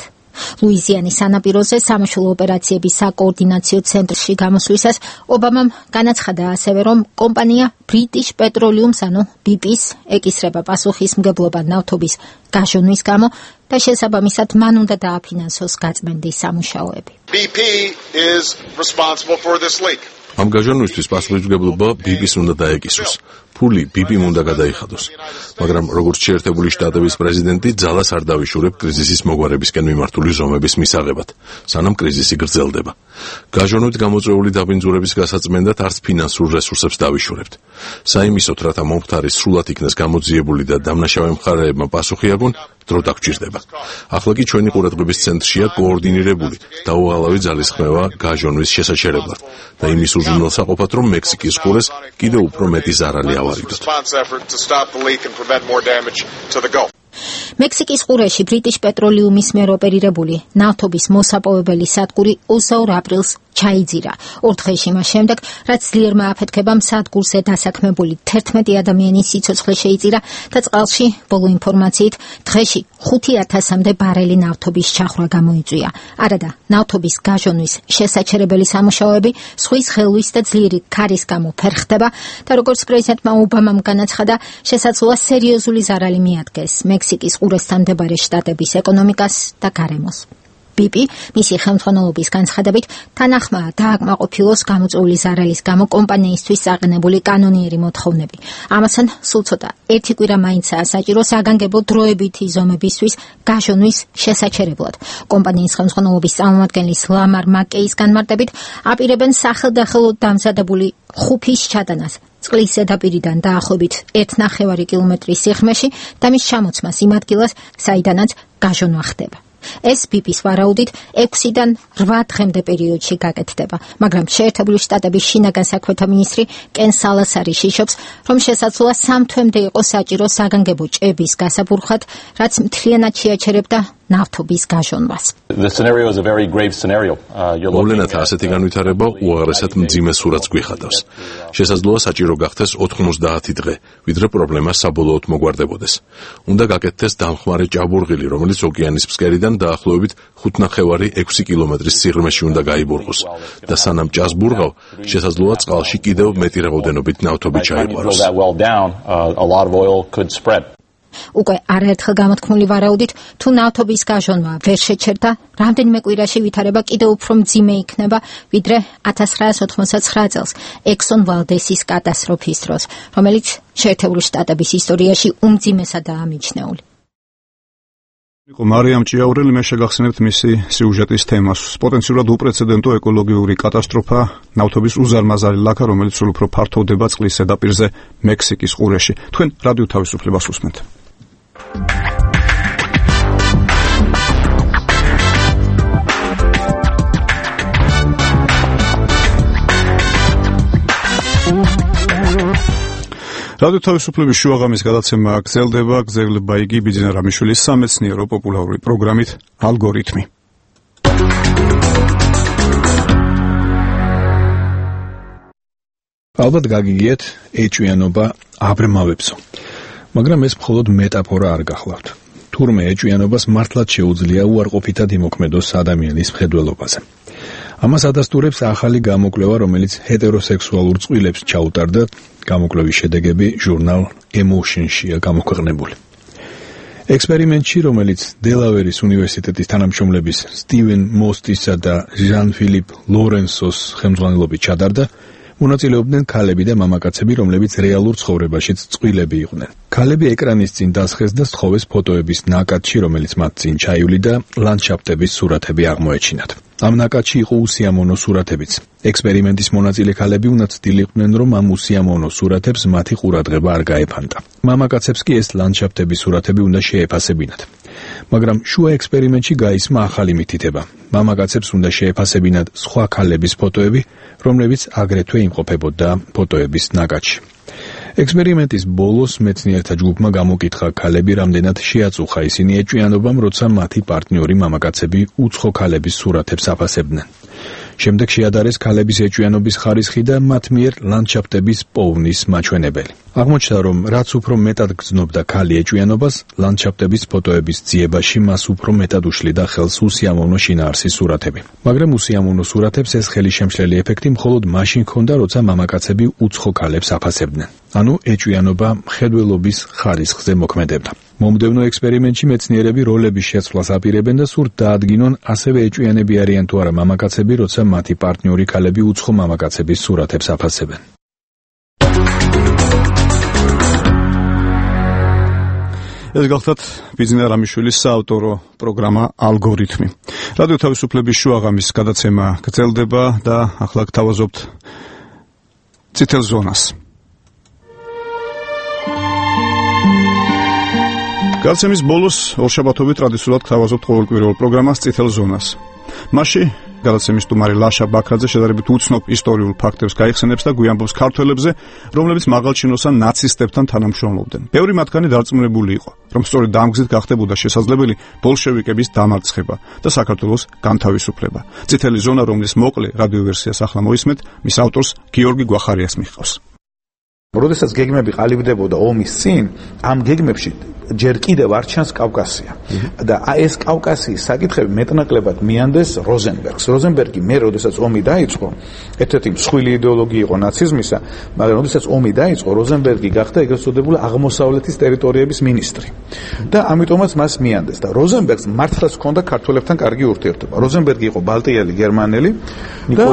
ლუიზიანის სანაპიროზე სამაშველო ოპერაციების საკოორდინაციო ცენტრში გამოსვლისას ობამამ განაცხადა ასევე, რომ კომპანია British Petroleum, ანუ BP-ს ეკისრება პასუხისმგებლობა ნავთობის გაჟონვის გამო და შესაბამისად მან უნდა დააფინანსოს გაწმენდის სამუშაოები. BP is responsible for this leak. ამ გაჟონვისთვის პასუხისმგებლობა BP-ს უნდა დაეკისროს. ფული BP-მ უნდა გადაიხადოს. მაგრამ როგორც შეერთებული შტატების პრეზიდენტი ძალას არ დავიშურებ კრიზისის მოგვარებისკენ მიმართული ზომების მისაღებად, სანამ კრიზისი გრძელდება. გაჟონვით გამოწვეული დაბინძურების გასაწმენდად არც ფინანსურ რესურსებს დავიშურებთ. საიმისოდ, რათა მომხდარი სრულად იქნეს გამოძიებული და დამნაშავე მხარეებმა პასუხი აგონ, დრო დაგჭირდება. ახლა კი ჩვენი ყურადღების ცენტრშია კოორდინირებული და უღალავი ძალისხმევა გაჟონვის შესაჩერებლად და იმის უზრუნველსაყოფად, რომ მექსიკის ყურეს კიდევ უფრო მეტი ზარალი ავარიდოთ. მექსიკის ყურეში British Petroleum-ის მიერ ოპერირებული ნავთობის მოსაპოვებელი სადგური 22 აპრილს ჩაიძირა. 4 დღეში მას შემდეგ, რაც ძლიერმა აფეთქებამ სადგურზე დასაქმებული 11 ადამიანის სიცოცხლე შეიწირა და წყალში, ბოლო ინფორმაციით, დღეში 5000-მდე ბარელი ნავთობის ჩახრა გამოიწვია. არადა ნავთობის გაჟონვის შესაჩერებელი სამუშაოები ზღვის ხელვის და ძლიერი ქარის გამო ფერხდება და როგორც პრეზიდენტმა ობამამ განაცხადა, შესაძლოა სერიოზული ზარალი მიადგეს მექსიკის ყურესთან მდებარე შტატების ეკონომიკას და გარემოს. BP მისი ხელმძღვანელობის განცხადებით თანახმაა დააკმაყოფილოს გამოწვეული ზარალის გამო კომპანიისთვის საყენებული კანონიერი მოთხოვნები. ამასთან სულ ცოტა ერთი კვირა მაინცაა საჭირო საგანგებო დროებითი ზომებისთვის გაჟონვის შესაჩერებლად. კომპანიის ხელმძღვანელობის წარმომადგენლის ლამარ მაკეის განმარტებით აპირებენ სახელდახელოდ დამზადებული ხუფის ჩატანას წყლის ზედაპირიდან დაახლოებით 1,5 კილომეტრის სიღრმეში და მის ჩამოცმას იმ ადგილას, საიდანაც გაჟონვა ხდება. ეს BP-ს ვარაუდით 6-დან 8 დღემდე პერიოდში გაკეთდება, მაგრამ შეერთებული შტატების შინაგან საქმეთა მინისტრი კენ სალასარი შიშობს, რომ შესაძლოა 3 თვემდე იყოს საჭირო საგანგებო ჭების გასაბურხად, რაც მთლიანად შეაჩერებდა ნავთობის გაჟონვას. მოვლენათა ასეთი განვითარება უაღრესად მძიმე სურათს გვიხადავს. შესაძლოა საჭირო გახდეს 90 დღე, ვიდრე პრობლემა საბოლოოდ მოგვარდებოდეს. უნდა გაკეთდეს დამხმარე ჭაბურღილი, რომელიც ოკეანის ფსკერიდან დაახლოებით 5,5-6 კილომეტრის სიღრმეში უნდა გაიბურღოს და სანამ ჭას ბურღავ, შესაძლოა წყალში კიდევ მეტი რაოდენობით ნავთობი ჩაიყვანოს. უკვე არაერთხელ გამოთქმული ვარაუდით, თუ ნავთობის გაშონება ვერ შეჩერდა, რამდენიმე კვირაში ვითარება კიდევ უფრო მძიმე იქნება, ვიდრე 1989 წელს Exxon Valdez-ის კატასტროფის დროს, რომელიც შეერთებული შტატების ისტორიაში უმძიმესადაა მიჩნეული. მარიამ ჭიაურელი, მე შეგახსენებთ მისი სიუჟეტის თემას. პოტენციურად უპრეცედენტო ეკოლოგიური კატასტროფა, ნავთობის უზარმაზარი ლაქა, რომელიც სულ უფრო ფართოვდება წყლის ზედაპირზე მექსიკის ყურეში. თქვენ რადიო თავისუფლებას უსმენთ. რადიო თავისუფლების შუაღამის გადაცემა გრძელდება, გრძელდება იგი ბიძინა რამიშვილის სამეცნიერო პოპულარული პროგრამით ალგორითმი. ალბათ გაგიგიათ ეჭვიანობა აბრმავებსო. მაგრამ ეს მხოლოდ მეტაფორა არ გახლავთ. თურმე ეჭვიანობას მართლაც შეუძლია უარყოფითად იმოქმედოს ადამიანის მხედველობაზე. ამას ადასტურებს ახალი გამოკვლევა, რომელიც ჰეტეროსექსუალურ წყვილებს ჩაუტარდა. გამოკვლევის შედეგები ჟურნალ Emotion-შია გამოქვეყნებული. ექსპერიმენტში, რომელიც დელავერის უნივერსიტეტის თანამშრომლების სტივენ მოსტისა და ჟან-ფილიპ ლორენსოს ხელმძღვანელობით ჩადარდა, მონაწილეობდნენ ქალები და მამაკაცები, რომლებიც რეალურ ცხოვრებაშიც წყვილები იყვნენ. ქალები ეკრანის წინ დასხეს და სთხოვეს ფოტოების ნაკადში, რომელიც მათ წინ ჩაივლიდა, ლანდშაფტების სურათები აღმოეჩინათ. ამ ნაკადში იყო უსიამოვნო სურათებიც. ექსპერიმენტის მონაწილე ქალები უნდა ცდილიყვნენ, რომ ამ უსიამოვნო სურათებს მათი ყურადღება არ გაეფანტა. მამაკაცებს კი ეს ლანდშაფტების სურათები უნდა შეეფასებინათ. მაგრამ შუა ექსპერიმენტში გაისმა ახალი მითითება. მამაკაცებს უნდა შეეფასებინათ სხვა ქალების ფოტოები, რომლებიც აგრეთვე იმყოფებოდა ფოტოების ნაკადში. ექსპერიმენტის ბოლოს მეცნიერთა ჯგუფმა გამოკითხა ქალები რამდენად შეაწუხა ისინი ეჭვიანობამ, როცა მათი პარტნიორი მამაკაცები უცხო ქალების სურათებს აფასებდნენ. შემდეგ შეადარეს ქალების ეჭვიანობის ხარისხი და მათ მიერ ლანდშაფტების პოვნის მაჩვენებელი. აღმოჩნდა, რომ რაც უფრო მეტად გრძნობდა ქალი ეჭვიანობას, ლანდშაფტების ფოტოების ძიებაში მას უფრო მეტად უშლიდა ხელს უსიამოვნო შინაარსის სურათები. მაგრამ უსიამოვნო სურათებს ეს ხელისშემშლელი ეფექტი მხოლოდ მაშინ ჰქონდა, როცა მამაკაცები უცხო ქალებს აფასებდნენ. ანუ ეჭვიანობა მხედველობის ხარისხზე მოქმედებდა. მომდევნო ექსპერიმენტში მეცნიერები როლების შეცვლას აპირებენ და სურთ დაადგინონ, ასევე ეჭვიანები არიან თუ არა მამაკაცები, როცა მათი პარტნიორი ქალები უცხო მამაკაცების სურათებს აფასებენ. ეს გახლავთ ბიძინა რამიშვილის საავტორო პროგრამა ალგორითმი. რადიო თავისუფლების შუაღამის გადაცემა გრძელდება და ახლა გთავაზობთ წითელ ზონას. გადაცემის ბოლოს ორშაბათობით ტრადიციულად გთავაზობთ ყოველკვირეულ პროგრამას წითელ ზონას. მასში გადაცემის სტუმარი ლაშა ბაქრაძე შედარებით უცნობ ისტორიულ ფაქტებს გაიხსენებს და გვიამბობს ქართველებზე, რომლებიც მაღალჩინოსან ნაცისტებთან თანამშრომლობდნენ. ბევრი მათგანი დარწმუნებული იყო, რომ სწორედ ამ გზით გახდებოდა შესაძლებელი ბოლშევიკების დამარცხება და საქართველოს განთავისუფლება. წითელი ზონა, რომლის მოკლე რადიოვერსიას ახლა მოისმენთ, მის ავტორს გიორგი გვახარიას მიჰყავს. როდესაც გეგმები ყალიბდებოდა ომის წინ, ამ გეგმებში ჯერ კიდევ არ ჩანს კავკასია. და ეს კავკასიის საკითხები მეტნაკლებად მიანდეს როზენბერგს. როზენბერგი მე როდესაც ომი დაიწყო, ერთ-ერთი მსხვილი იდეოლოგია იყო ნაციზმისა, მაგრამ როდესაც ომი დაიწყო, როზენბერგი გახდა ეგრეთ წოდებული აღმოსავლეთის ტერიტორიების მინისტრი. და ამიტომაც მას მიანდეს და როზენბერგს მართლაც ჰქონდა ქართველებთან კარგი ურთიერთობა. როზენბერგი იყო ბალტიელი გერმანელი და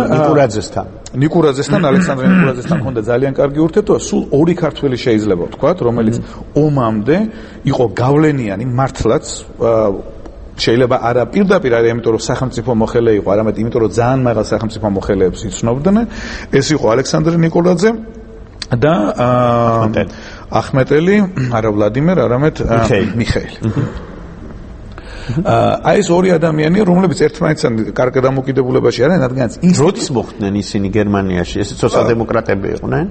ნიკურაძესთან, ალექსანდრე ნიკურაძესთან ჰქონდა ძალიან კარგი ურთიერთობა. სულ ორი ქართველი შეიძლება ვთქვათ, რომელიც ომამდე იყო გავლენიანი მართლაც შეიძლება არა პირდაპირ არა იმიტომ რომ სახელმწიფო მოხელე იყო, არამედ იმიტომ რომ ძალიან მაღალ სახელმწიფო მოხელეებს იცნობდნენ. ეს იყო ალექსანდრე ნიკურაძე და ახმეტელი, არა ვლადიმერ, არამედ მიხეილი. აი ეს ორი ადამიანია, რომლებიც ერთმანეთთან კარგ დამოკიდებულებაში არიან, რადგანაც როდის მოხვდნენ ისინი გერმანიაში? ეს სოციალ-დემოკრატები იყვნენ?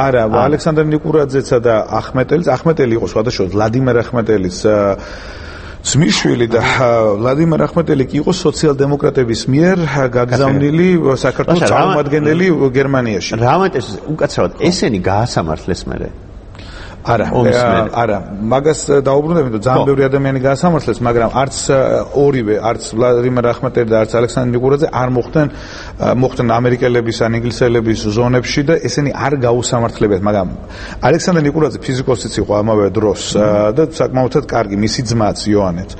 არა, ალექსანდრე ნიკურაძეცა და ახმეტელი იყო სხვადასხვა ვლადიმერ ახმეტელის ძმისშვილი და ვლადიმერ ახმეტელი კი იყო სოციალ-დემოკრატების მიერ გაგზავნილი საქართველოს წარმომადგენელი გერმანიაში. რამატეს უკაცრავად ესენი გაასამართლეს მერე. არა, მაგას დაუბრუნდებით, რომ ძალიან ბევრი ადამიანი გაასამართლეს, მაგრამ არც ორივე, არც ვლადიმერ ახმეტელი და არც ალექსანდრე ნიკურაძე არ მოხვდნენ ამერიკელების ან ინგლისელების ზონებში და ესენი არ გაუსამართლებიათ, მაგრამ ალექსანდრე ნიკურაძე ფიზიკოსიც იყო ამავე დროს და საკმაოდად კარგი, მისი ძმაც იოანეც.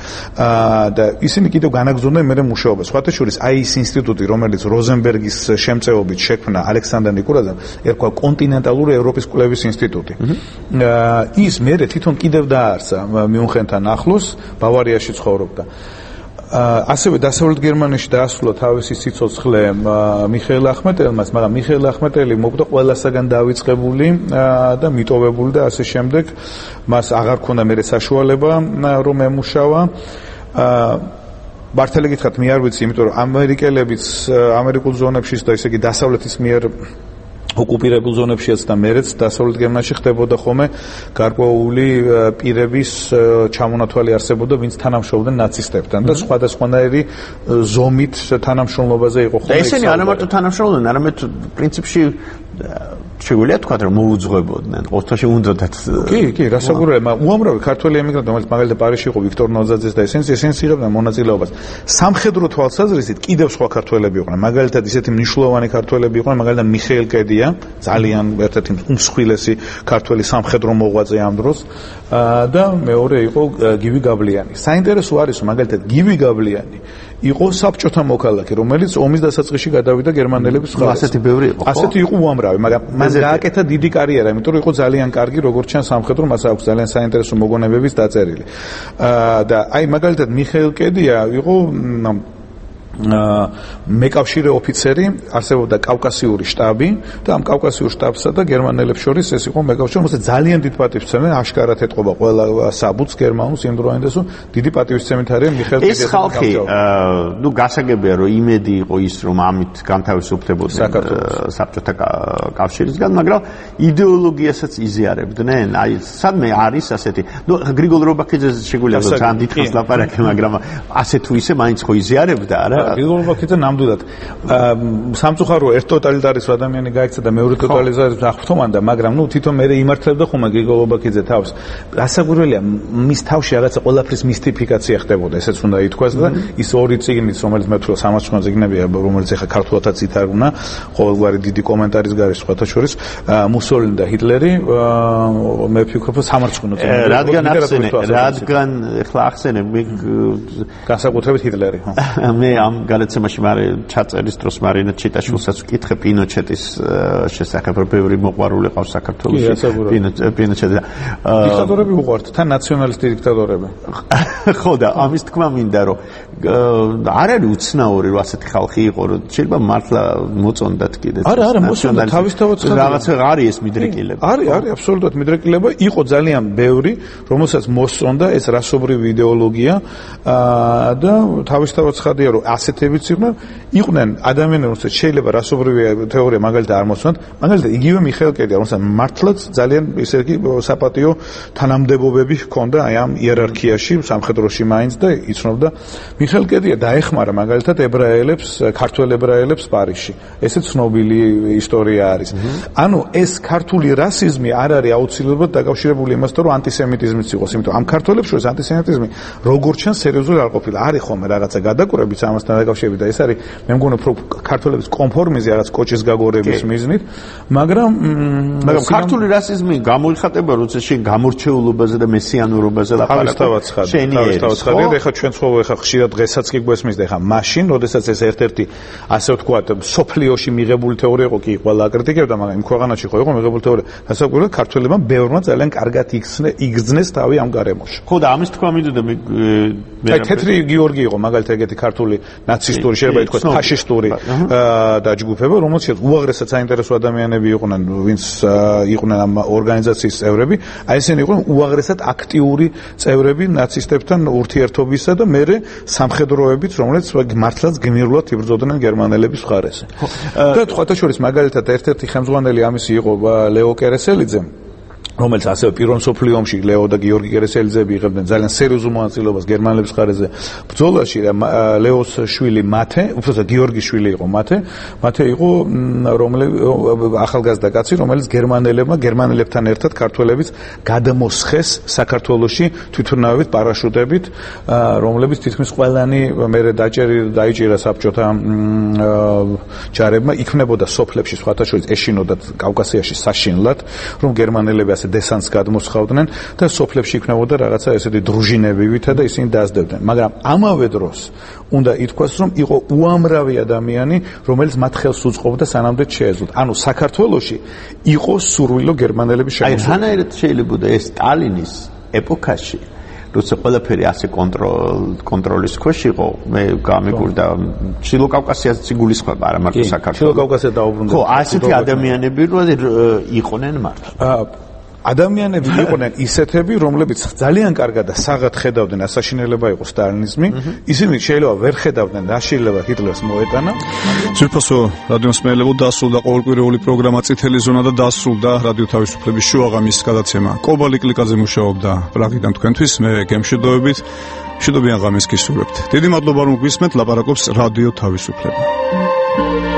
და ისინი კიდევ განაგრძობდნენ მერე მუშაობას. სხვათა შორის აი ის ინსტიტუტი, რომელიც როზენბერგის შემწეობით შექმნა ალექსანდრე ნიკურაძემ, ერქვა კონტინენტალური ევროპის კვლევის ინსტიტუტი. ის მერე თვითონ კიდევ დაარსა მიუნხენთან ახლოს, ბავარიაში ცხოვრობდა. ასევე დასავლეთ გერმანიაში დაასრულა თავისი სიცოცხლე მიხეილ ახმეტელმაც, მაგრამ მიხეილ ახმეტელი მოკვდა ყველასაგან დავიწყებული და მიტოვებული და ასე შემდეგ. მას აღარ ქონდა მერე საშუალება რომ ემუშავა. მართალი გითხრათ, მე არ ვიცი, იმიტომ რომ ამერიკელებიც ამერიკულ ზონებშიც და ისე იგი დასავლეთის მიერ ოკუპირებულ ზონებშიც და მერეც დასავლეთ გერმანიაში ხდებოდა ხოლმე გარკვეული პირების ჩამონათვალი არსებობდა, ვინც თანამშრომლობდნენ ნაცისტებთან და სხვადასხვანაირი ზომით თანამშრომლობაზე იყო ხოლმე. და ესენი არა მარტო თანამშრომლობდნენ, არამედ პრინციპში შეგვიძლია თქვა, რომ მოუძღვებოდნენ, ოთხში უნდათ. კი, რასაკვირველია, უამრავი ქართველი ემიგრანტი, რომელიც მაგალითად პარიზში იყო, ვიქტორ ნოძაძეს და ესენს იღებდნენ მონაწილეობას. სამხედრო თვალსაზრისით კიდევ სხვა ქართველები იყვნენ, მაგალითად ისეთი მნიშვნელოვანი ქართველები იყვნენ, მაგალითად მიხეილ კედია, ძალიან ერთ-ერთი უმსხვილესი ქართველი სამხედრო მოღვაწე ამ დროს და მეორე იყო გივი გაბლიანი. საინტერესო არის, რომ მაგალითად გივი გაბლიანი იყო საბჭოთა მოქალაქე, რომელიც ომის დასაწყისში გადავიდა გერმანელების მხარეს. ასეთი ბევრი იყო. ასეთი იყო უამრავი, მაგრამ მან გააკეთა დიდი კარიერა, იმიტომ რომ იყო ძალიან კარგი, როგორც ჩანს სამხედრო, მას აქვს ძალიან საინტერესო მოგონებების დაწერილი. და აი მაგალითად მიხეილ კედია იყო მეკავშირე ოფიცერი, არსებობდა კავკასიური შტაბი და ამ კავკასიურ შტაბსა და გერმანელებს შორის ეს იყო მეკავშირე, რომელსაც ძალიან დიდ პატივისცემენ, აშკარად ეთყობა ყველა საბუთს გერმანულს იმ დროინდელს, დიდი პატივისცემით არის მიხეილ კედია. ეს ხალხი, გასაგებია, რომ იმედი იყო ის, რომ ამით განთავისუფლებოდნენ საბჭოთა კავშირისგან, მაგრამ იდეოლოგიასაც იზიარებდნენ. აი, სადმე არის ასეთი, გრიგოლ რობაქიძეს შეგვიძლია ძალიან დიდხანს ლაპარაკი, მაგრამ ასე თუ ისე მაინც ხო იზიარებდა, არა? გრიგოლ რობაქიძე ნამდვილად სამწუხარო ერთ ტოტალიტარის ადამიანი გაიქცა და მეორე ტოტალიტარის აღფრთოვანდა, მაგრამ თვითონ მე იმართებდა ხომ გრიგოლ რობაქიძე თავს. რასაკვირველია, მის თავში რაღაცა ყველაფრის მისტიფიკაცია ხდებოდა, ესეც უნდა ითქვას და ის ორი წიგნიც, რომელიც მე ვთქვი 300 წიგნებია, რომელიც ახლა ქართულადაც ითარგმნა, ყოველგვარი დიდი კომენტარის გარეშე, სხვათა შორის მუსოლინი და ჰიტლერი, მე ვფიქრობ, რომ სამარცხვინო წიგნია. რადგან ახლა ახსენებ, მე განსაკუთრებით ჰიტლერი, ხო? მე ამ გადაცემაში ჩაწერის დროს მარინა ჩიტაშვილსაც ვკითხე პინოჩეტის შესახებ, რომ ბევრი მოყვარული ყავს საქართველოში. პინოჩეტი. დიქტატორები უყვართ, თან ნაციონალისტი დიქტატორები. ხო და ამის თქმა მინდა, რომ არ არის უცნაური, რომ ასეთი ხალხი იყო, რომ შეიძლება მართლა მოწონდათ კიდე. არა, მოსწონდა თავისთავად რაღაცა არის ეს მიდრეკილება. არის აბსოლუტურად მიდრეკილება, იყო ძალიან ბევრი, რომელსაც მოსწონდა ეს რასობრივი იდეოლოგია და თავისთავად ცხადია, რომ ასეთებიც იყვნენ ადამიანები, რომელსაც შეიძლება რასობრივი თეორია მაგალითად არ მოსწონდათ, მაგალითად იგივე მიხეილ კედია, რომელსაც მართლაც ძალიან ისე იგი საპატიო თანამდებობები ჰქონდა აი ამ იერარქიაში, სამხედროში მაინც და იცნობდა. მიხეილ კედია დაეხმარა მაგალითად ებრაელებს, ქართველ ებრაელებს პარიზში. ესე ცნობილი ისტორია არის. ანუ ეს ქართული რასიზმი არ არის აუცილებლად დაკავშირებული იმასთან, რომ ანტისემიტიზმიც იყოს, იმიტომ ამ ქართველებს შორის ანტისემიტიზმი როგორც ჩანს სერიოზული არ ყოფილა. არის ხოლმე რაღაცა გადაკურებიც ამასთან დაკავშირებით და ეს არის მე მგონი უფრო ქართველების კონფორმიზმი რაღაც კოჭის გაგორების მიზნით, მაგრამ ქართული რასიზმი გამოიხატება, როცა შენ გამორჩეულობაზე და მესიანურობაზე ლაპარაკობ. თავისთავად ცხადია, ეხლა ჩვენ ცხოვრობ ეხლა ხშირად დღესაც კი გვესმის და ეხლა მაშინ, როდესაც ეს ერთ-ერთი ასე ვთქვათ, სოფლიოში მიღებული თეორია იყო, კი ყველა აკრიტიკებდა, მაგრამ იმ ქვეყანაში ხო იყო მიღებული თეორია. დასაკვირვებლად ქართველებმა ბევრმა ძალიან კარგად იგრძნეს თავი ამ გარემოში. ხო და ამის თქვა მინდოდა მე თეთრი გიორგი იყო მაგალითად ეგეთი ქართული ნაცისტური, შეიძლება ითქვას ფაშისტური დაჯგუფება, რომელშიც უაღრესად საინტერესო ადამიანები იყვნენ, ვინც იყვნენ ამ ორგანიზაციის წევრები, აი ესენი იყვნენ უაღრესად აქტიური წევრები ნაცისტებთან ურთიერთობისა და მერე სამხედროებიც, რომელიც მართლაც გმირულად იბრძოდნენ გერმანელების მხარეს. და სხვათა შორის მაგალითად ერთ-ერთი ხელმძღვანელი ამისი იყო ლეო კერესელიძე, რომელიც ასევე პირველ მსოფლიო ომში ლეო და გიორგი კერესელიძეები იღებდნენ ძალიან სერიოზულ მონაწილეობას გერმანელების მხარეზე ბრძოლაში. ლეოს შვილი მათე, უბრალოდ გიორგის შვილი იყო მათე იყო ახალგაზრდა კაცი, რომელიც გერმანელებთან ერთად ქართველებიც გადამოსხეს საქართველოში თვითმფრინავებით პარაშუტებით, რომლებიც თითქმის ყველანი მერე დაიჭირა საბჭოთა ჯარებმა, იქმნებოდა სოფლებში სხვათა შორის ეშინოდათ კავკასიაში საშინლად, რომ გერმანელები ასე დესანტს გადმოსხავდნენ და სოფლებში იქნებოდა რაღაცა ესეთი დრუჟინებივითა და ისინი დაასდებდნენ. მაგრამ ამავე დროს უნდა ითქვას, რომ იყო უამრავი ადამიანი, რომელიც მათ ხელს უწყობდა სანამდე შეეძლოთ. ანუ საქართველოში იყო სურვილო გერმანელების შემოსევას. აი, რანაირად შეიძლება ეს სტალინის ეპოქაში როცა ყველაფერი ასე კონტროლის ქვეშ იყო, მე გამიგურდა ჩილო კავკასიაზეც იგულისხმება, არა მარტო საქართველოს. ჩილო კავკასია დაუბრუნდა. ხო, ასეთი ადამიანები იყვნენ მართლა. ადამიანები იყვნენ ისეთები, რომლებიც ძალიან კარგად და საღად ხედავდნენ ასაშინელება იყო სტალინიზმი, ისინი შეიძლება ვერ ხედავდნენ და შეიძლება ჰიტლერს მოეტანა. ძვირფასო რადიომსმენელებო, დასრულდა ყოველკვირეული პროგრამა წითელი ზონა და დასრულდა რადიო თავისუფლების შუაღამის გადაცემა. კობალი კლიკაძე მუშაობდა პრაღიდან თქვენთვის, მე გემშვიდობებით, მშვიდობიან ღამეს გისურვებთ. დიდი მადლობა რომ გვისმენთ, ლაპარაკობს რადიო თავისუფლება.